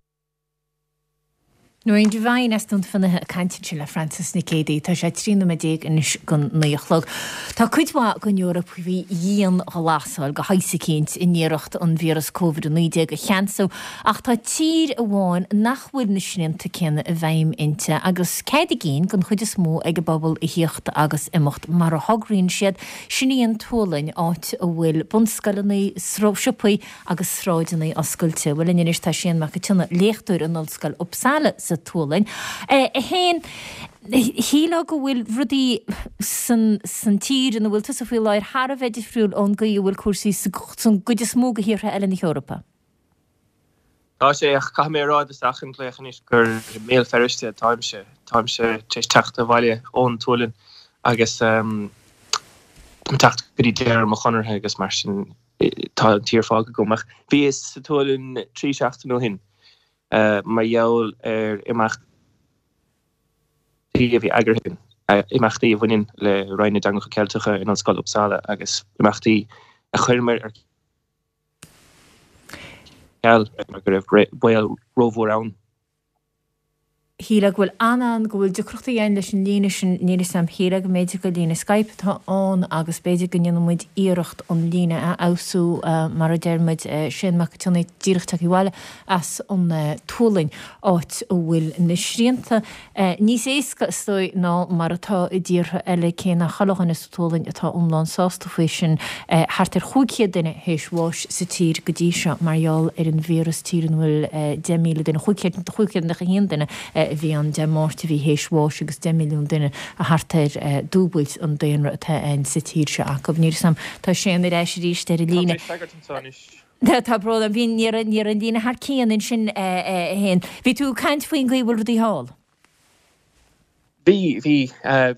Nóirín Devine as Dún Fionnachaidh ag caint ansin le Frances Nic Géadaigh. Tá sé 13 nóiméad anois don 9 a chlog. Tá cuid mhaith den Eoraip faoi dhianghlasáil de shaghas eicínt in iarracht an víreas Covid-19 a cheansú ach tá tír amháin nach bhfuil na srianta céanna i bhfeidhm inti agus cead a gcinn den chuid is mó ag an bpobal a thíocht agus imeacht mar a thograíonn siad, sin í an tSualainn, áit a bhfuil bunscoileanna, siopaí agus sráideanna oscailte. Bhuel linn anois tá Séan Mac an tSionnaigh, léachtóir in Ollscoil Uppsala sa tSualainn. A Shéain, shílfeá go bhfuil rudaí san san tír ina bhfuil tusa faoi láthair thar a bheith difriúil ón gcaoi a bhfuil cúrsaí san gcuid is mó de thíortha eile na hEorpa. Tá sé, ach caithfidh mé a rá i dtosach an ghlaoch anois gur i mBéal Feirste atáimse. Táimse tar éis teacht abhaile ón tSualainn agus táim ag teacht go dtí deireadh mo chonartha agus mar sin tá an tír fágtha agam. Ach bhíos sa tSualainn 3 seachtain ó shin mar gheall ar imeachtaí a bhí eagraithe, imeachtaí a bhaineann le Roinn na dTeangacha Ceilteacha in Ollscoil Uppsala agus imeachtaí a chuireamar ar ceal mar go raibh baol rómhór ann. Shílfeá go bhfuil an-an, go bhfuil deacrachtaí ann leis an líne sin, níl 'fhios a'm, shílfeá go mb'fhéidir gur líne Skype atá ann agus b'fhéidir go ndéanfaidh muid iarracht an líne a fheabhsú mar a deir muid, Séan Mac Cionnaith díreach tagtha abhaile as an tSualainn, áit a bhfuil na srianta níos éasca is dóigh ná mar atá i dtíortha eile, cé nach chuile dhuine sa tSualainn atá iomlán sásta faoi sin. Thart ar 500 duine théis bháis sa tír go dtí seo mar gheall ar an víreas, tír ina bhfuil 10,000 duine, 591 duine a bhí ann Dé Máirt a bhí théis bháis agus 10 milliún duine thart ar dúbailt an daonra atá ann sa tír seo acu. Níl 'fhios a'm, tá Séan ar ais arís ar an líne. Tá mé ag freagairt anseo anois. Tá brón orm, bhí, ní raibh, ní raibh an líne thar cionn ansin a Shéain. Bhí tú ag caint faoin gcaoi a bhfuil rudaí thall. Bhí, bhí.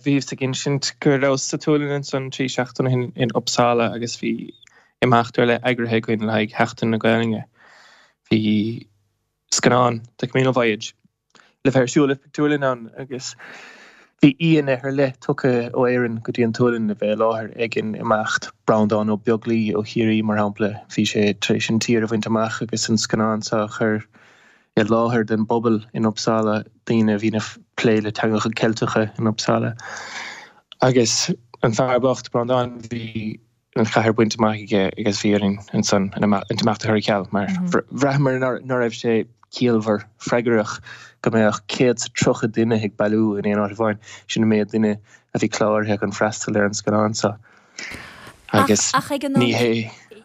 Bhíos ag insint go rabhas sa tSualainn ansan 3 seachtaine ó shin in Uppsala agus bhí imeacht ar leith eagraithe againn le haghaidh Sheachtain na Gaelainne. Bhí scannán, The Camino Voyage, le bheith ar siúl i bpictiúrlann ann agus bhí aíonna ar leith tugtha ó Éirinn go dtí an tSualainn le bheith i láthair ag an imeacht, Breandán Ó Beaglaoi ó Chiarraí, mar shampla, bhí sé tar éis an tír a bhaint amach agus an scannán seo a chur i láthair don bpobal in Uppsala, daoine a bhíonn ag plé le teangacha Ceilteacha in Uppsala. Agus an fear bocht, Breandán, bhí. an chathair bainte amach aige agus bhí orainn ansan an t-imeacht a chur ar ceal mar bhraitheamar ná raibh sé ciallmhar freagrach go mbeadh 130 duine ag bailiú in aon áit amháin. Sin an méid duine a bhí cláraithe chun freastal ar an scannán seo agus ní hé.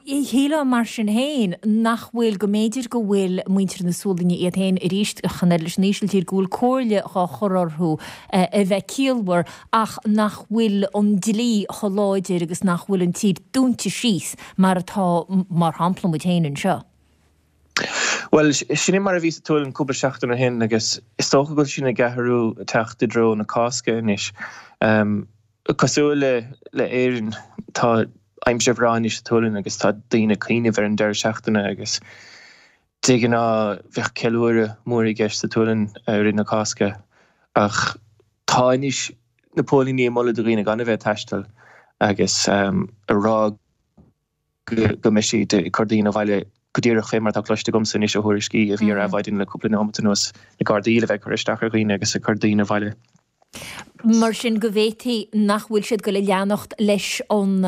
Shílfeá mar sin féin nach bhfuil, go mb'fhéidir go bhfuil muintir na Sualainne iad féin arís, chan oiread leis an Ísiltír, go bhfuil comhairle dhá chur orthu a bheith ciallmhar ach nach bhfuil an dlí chomh láidir agus nach bhfuil an tír dúnta síos mar atá, mar shampla, muid féin anseo. Bhuel, sin é mar a bhí sa tSualainn cúpla seachtain ó shin agus is dócha go bhfuil sin ag athrú, ag teacht i dtreo na Cásca anois. Cosúil le le Éirinn, tá aimsir bhreá anois sa tSualainn agus tá daoine ag cuimhneamh ar an deireadh seachtaine agus de ghnáth bheadh ceiliúradh mór i gceist sa tSualainn i rith na Cásca ach Tá anois na póilíní ag moladh do dhaoine gan a bheith ag taisteal agus ag rá go mbeidh siad ag cur daoine abhaile go díreach fé mar atá cloiste agamsa anois ó thuairiscí a bhí ar Adhmhaidin le cúpla nóimeat anuas, na Gardaí le bheith ag cur isteach ar dhaoine agus ag cur daoine abhaile. Mar sin go bhféadfaí nach bhfuil siad ag goil a leanacht leis an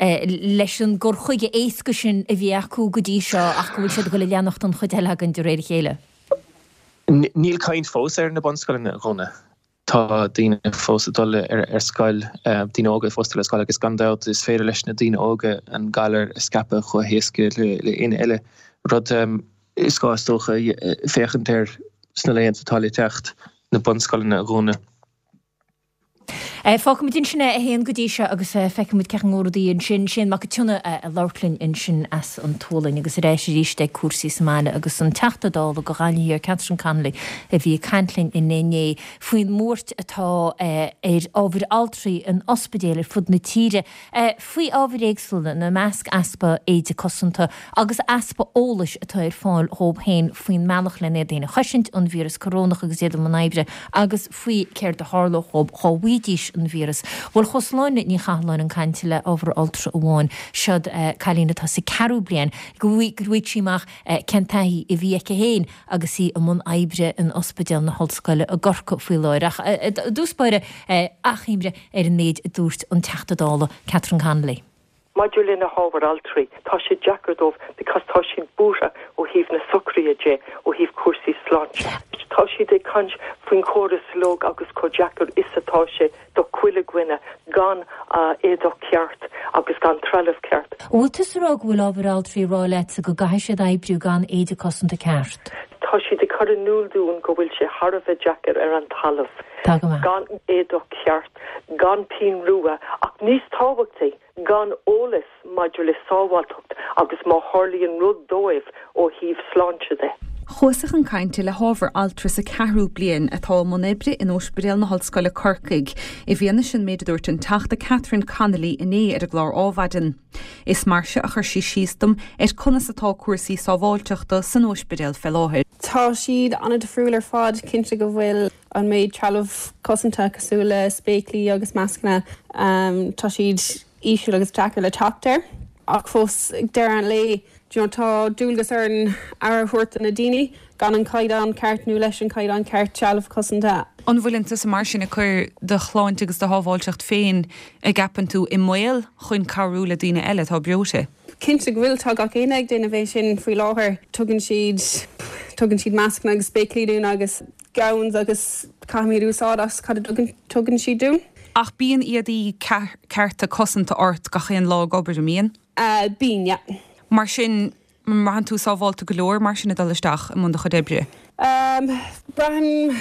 leis an gcur chuige éasca sin a bhí acu go dtí seo ach go bhfuil siad ag goil a leanacht an chuid eile againn de réir a chéile. Níl caint fós ar na bunscoileanna a dhúnadh. Tá daoine fós ag dul ar scoil, daoine óga fós ag dul ar scoil agus gan dabht is féidir leis na daoine óga an galar a scaipeadh chomh héasca le éinne eile. Rud is gá is dócha féachaint air sna laethanta atá le teacht, na bunscoileanna a dhúnadh. Fágfaimid ansin é a Shéain go dtí seo agus feicfimid cén chaoi a ngabhfaidh rudaí ansin. Séan Mac Cionnaith ag labhairt linn ansin as an tSualainn agus ar ais arís ag cúrsaí sa mbaile agus an Teachta Dála do Ghaillimh Thiar, Catherine Connolly a bhí ag caint linn inné faoin mbuairt atá ar ábhair altraí in ospidéil ar fud na tíre faoi ábhair éagsúla, ina measc easpa éide cosanta agus easpa eolais atá ar fáil dhóibh féin faoin mbealach lena iad féin a chosaint ón víreas corónach agus iad i mbun oibre agus faoi céard a tharlódh dhóibh dhá bhfaighidís an víreas. Bhuel chuas Sláine Ní Chathalláin chun cainte le ábhar altra amháin, seod cailín atá sa ceathrú bliain, go bhfaighidh sí amach cén taithí a bhí aici féin agus í i mbun oibre in Ospidéal na hOllscoile i gCorcaigh faoi láthair. Ach i dtús báire, achoimre ar an méid a dúirt an Teachta Dála Catherine Connolly. Maidir le na hábhair altraí, tá sé deacair dóibh because tá siad buartha ó thaobh na socruithe de, ó thaobh cúrsaí sláinte. Tá siad ag caint faoin chóras uilig agus chomh deacair is atá sé do chuile dhuine gan éadach ceart agus gan trealamh ceart. An bhfuil tusa ag rá go bhfuil ábhair altraí ag rá leatsa go gcaithfidh siad oibriú gan éide cosanta ceart? Tá siad ag cur in iúl dúinn go bhfuil sé thar a bheith deacair ar an talamh, Tá go maith. gan éadach ceart, gan pinn rua ach níos tábhachtaí, gan eolas maidir le sábháilteacht agus má tharlaíonn rud dóibh ó thaobh sláinte de. Chuas-sa chun cainte le hábhar altra sa ceathrú bliain atá i mbun oibre in Ospidéal na hOllscoile Corcaigh, i bhfianaise an méid a dúirt an Teachta Catherine Connolly inné ar an gclár Ádhmhaidin. Is mar seo a chuir sí síos dom ar conas atá cúrsaí sábháilteachta san ospidéal fé láthair. Tá siad an-difriúil ar fad, cinnte go bhfuil an méid trealamh cosanta cosúil le spéaclaí agus mascanna, tá siad íseal agus deacair le teacht air. Ach fós, ag deireadh an lae, Do you know, tá dualgas orainn aire a thabhairt do na daoine gan an caighdeán ceart nó leis an caighdeán ceart trealamh cosanta. An bhfuileann tusa mar sin ag cur do shláinte agus do shábháilteacht féin, a gceapann tú, i mbaol chun cabhrú le daoine eile atá breoite? Cinnte go bhfuil, tá gach éinne ag déanamh é sin faoi láthair. Tugann siad, tugann siad mascanna agus spéaclaí dúinn agus gowns agus caithfimid úsáid as cad a tugann siad dúinn. Ach bíonn éadaí cearta cosanta ort gach aon lá ag obair, an mbíonn? Bíonn, yeah. Mar sin, an mbraitheann tú sábháilte go leor mar sin ag dul isteach i mbun do chuid oibre? Braithim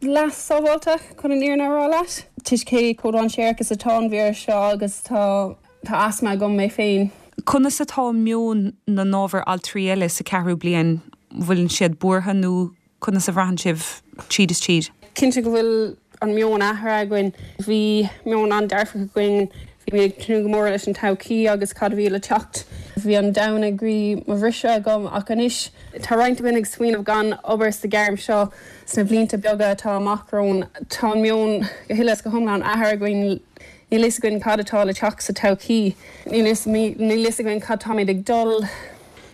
leath sábháilte, chun an fhírinne a rá leat. Toisc cé chomh dainséarach is atá an víreas seo agus tá tá asma agam mé féin. Conas atá meon na n-ábhar altraí eile sa ceathrú bliain, bhfuileann siad buartha nó Conas a bhraitheann sibh tríd is tríd? Cinnte go bhfuil an meon athraithe againn. Bhí meon an-dearfach againn. Bhí mé ag tnúth go mór leis an todhchaí agus cad a bhí le teacht. Bhí an domhan ag iarraidh mo bhriseadh agam ach anois tá roinnt againn ag smaoineamh gan obair sa ghairm seo sna blianta beaga atá amach romhainn. Tá an meon go huile is go hiomlán athraithe againn. Níl fhios againn cad atá le teacht sa todhchaí. Níl fhios againn cad táimid ag dul.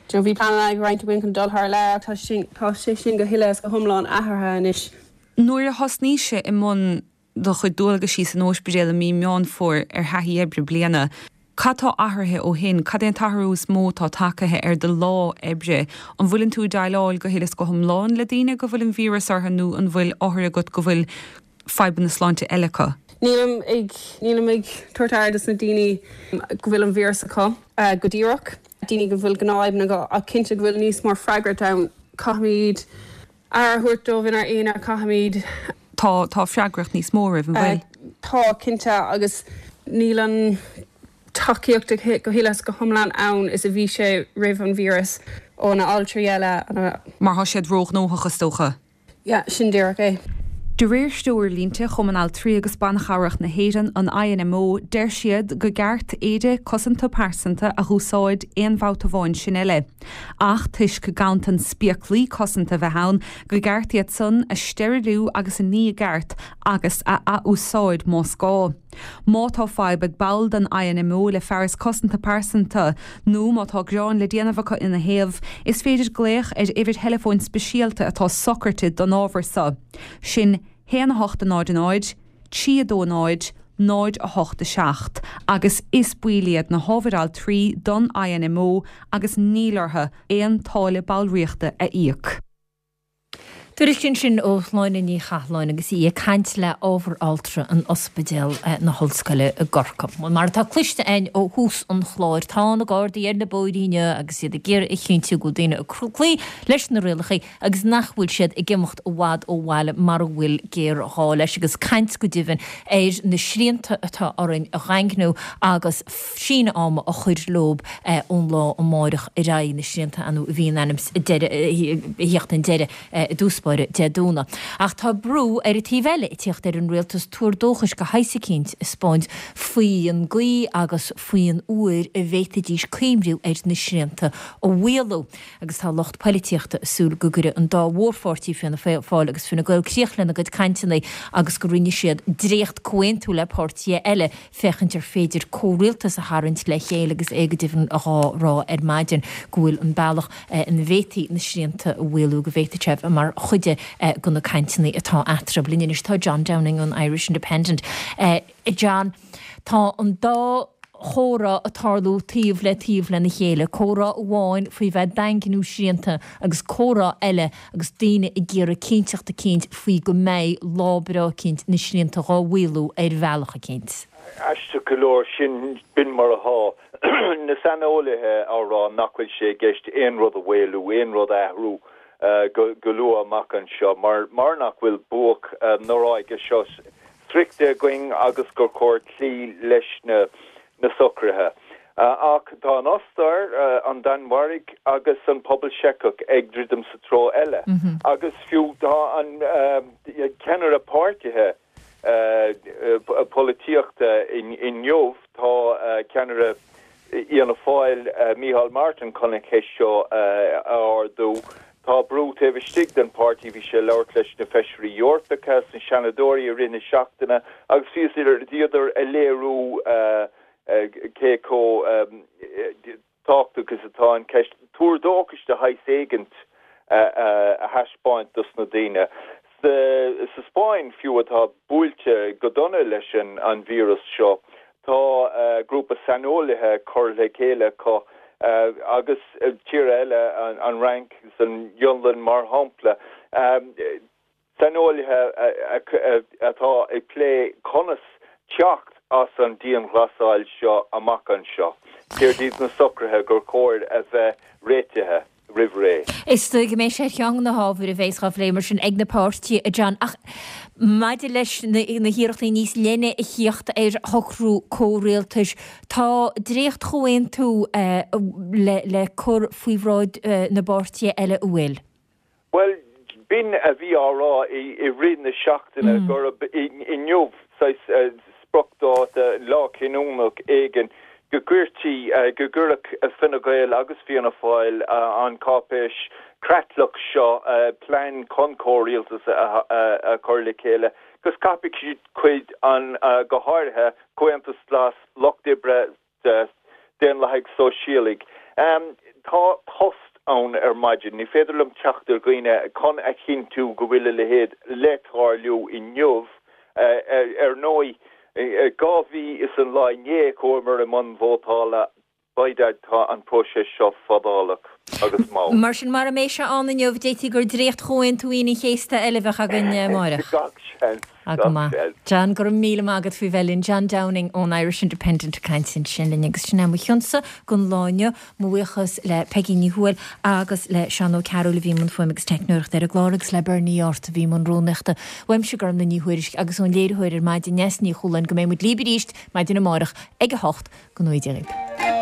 Do bhí pleananna ag roinnt againn chun dul thar lear ach tá sin, tá sé sin go huile is go hiomlán athraithe anois. Nuair a thosnaís i mbun do chuid dualgaisí san óispidéal i mí Meán Fómhair ar thaithí oibre bliana, cad tá athraithe ó shin? Cad é an t-athrú is mó atá tagtha ar do lá oibre? An bhfuileann tú ag déileáil go huile is go hiomlán le daoine go bhfuil an víreas orthu nó an bhfuil othair agat go bhfuil fadhbanna sláinte eile acu? Nílim ag, nílim ag tabhairt aire dos na daoine go bhfuil an víreas acu go díreach. daoine go bhfuil gnáthfhadhbanna acu ach cinnte go bhfuil níos mó freagracht ann. Caithfimid aire a thabhairt dóibh inár aonar, caithfimid. Tá, tá freagracht níos mó oraibh, an bhfuil? Tá, cinnte, agus níl an tacaíocht go huile is go hiomlán ann is a bhí sé roimh an víreas ó na altraí eile. Mar tá siad róghnóthach, is dócha. Yeah, sin díreach é. De réir threoirlínte Chumann Altraí agus Ban Chabhrach na hÉireann, an INMO, deir siad go gceart éide cosanta pearsanta a dh'úsáid aon bhabhta amháin sin eile. Ach toisc ganntan spéaclaí cosanta a bheith ann, go gceart iad san a steiriliú agus a ní i gceart agus a ath-úsáid más gá. Má tá fadhb ag ball den INMO le fearas cosanta pearsanta nó má tá gearán le déanamh acu ina thaobh, is féidir glaoch ar uimhir theileafóin speisialta atá socraite don ábhar so, sin 1 8 0 0 3 2 0 0 8 7 agus is baill iad na hábhair altraí don INMO agus níl orthu aon táille ballraíochta a íoc. Tuairisc ansin ó Shláine Ní Chathláin agus í ag caint le ábhar altra in Ospidéal na hOllscoile i gCorcaigh. Bhuel, mar atá cloiste againn ó thús an chláir, tá na Gardaí ar na bóithrí inniu agus iad ag iarraidh a chinntiú go bhfuil daoine ag cloí leis na rialacha agus nach bhfuil siad ag imeacht i bhfad ó bhaile mara bhfuil géarghá leis agus caint go deimhin ar na srianta atá orainn a dhaingniú agus síneadh ama a chur leob ón lá amáireach ar aghaidh, na srianta ar ndóigh a bhí in ainm is a theacht chun deiridh i dtús báire Dé Domhnaigh. Ach tá brú ar an taobh eile ag tíocht ar an rialtas tuar dóchais de shaghas eicínt a 'spáint faoin gcaoi agus faoin uair a bhféadfaidís cuimhniú ar na srianta a mhaolú. Agus tá lucht poilitíochta ag súil go gcuirfidh an dá mhórpháirtí, Fianna Fáil agus Fine Gael, críoch lena gcuid cainteanna agus go roinnfidh siad dréacht-comhaontú le páirtithe eile féachaint ar féidir comhrialtas a tharraingt le chéile agus é go deimhin dhá rá ar maidin go bhfuil an bealach ina bhféadfaí na srianta a mhaolú, go bhféadfadh sé bheith mar chuid de na cainteanna atá eatarthu. Linn anois tá John Downing ón Irish Independent. John, tá an dá chomhrá ag tarlú taobh le taobh lena chéile, comhrá amháin faoi bheith ag daingniú srianta agus comhrá eile agus daoine ag iarraidh cinnteacht eicínt faoi go mbeidh lá breá eicínt na srianta dhá mhaolú ar bhealach eicínt. Aisteach go leor, sin, b'in mar atá na saineolaithe á rá nach bhfuil sé i gceist aon rud a mhaolú, aon rud a athrú go luath amach anseo mar mar nach bhfuil buaic na ráige seo sroichte againn agus gur chóir cloí leis na na socruithe. Ach tá an Ostair, an Danmhairg agus an pobal Seiceach ag druidim sa treo eile. Agus fiú tá an ceannaire páirtithe polaitíochta inniu, tá ceannaire Fhianna Fáil, Micheál Martin chun an cheist seo a ardú. Tá brú taobh istigh den pháirtí, bhí sé ag labhairt leis na feisirí Eorpacha is na Seanadóirí i rith na seachtaine agus bhíodar ag léiriú cé chomh. tábhachtach is atá an cheist tuar dóchais de shaghas éigint a thaispeáint dos na daoine. Sa Spáinn fiú atá buailte go dona leis an víreas seo, tá grúpa saineolaithe curtha le chéile acu agus tíortha eile, an Fhrainc agus an Fhionlainn mar shampla, saineolaithe atá ag plé conas teacht as an dianghlasáil seo amach anseo. Céard iad na socruithe gur chóir a bheith réitithe roimh ré? Is dóigh go mbeidh sé ar cheann de na hábhair a bheas á phlé mar sin ag na páirtithe, a John. Ach maidir leis na hiarrachtaí níos leithne a thíocht ar shocrú comhrialtais, tá dréacht-chomhaontú le cur faoi bhráid na bpáirtithe eile, an bhfuil? Bhuel, b'in a bhí á rá i rith na seachtaine, gurb inniu saghas spriocdháta, lá cinniúnach éigin, go gcuirtí, go gcuirfeadh Fine Gael agus Fianna Fáil an cáipéis creatlach seo, plean chun comhrialtas a chur le chéile, agus caithfidh siad cuid an, go háirithe Comhaontas Glas, Lucht Oibre, Daonlathaigh Sóisialaigh. Tá tost ann ar maidin. Ní féidir liom teacht ar dhaoine chun a chinntiú go bhfuil a leithéid le tarlú inniu. Ar ndóigh, 2 mhí is an lá inné chuamar i mbun vótála. By dad tá an próiseas seo fadálach agus mall. Mar sin, mara mbeidh sé ann inniu, d'fhéadfaí gur dréacht-chomhaontú Aoine an Chéasta eile a bheadh againn amáireach. Gach seans. Ah, go maith. John, go raibh míle maith agat faoi bheith linn. John Downing ón Irish Independent ag caint ansin linn agus sin é mo chionsa don lá inniu. Mo bhuíochas le Peigí Ní Thuathail agus le Seán Ó Cearúil a bhí i mbun fuaime agus teicneoireachta ar an gclár agus le Bernie Yortt a bhí i mbun rúnaíochta. Uaimse Gormlaith Ní Thuairisg agus ón léiritheoir ar maidin Neasa Ní Chualáin go mbeidh muid libh arís maidin amárach ag 8. Go ngnóthaí Dia dhaoibh.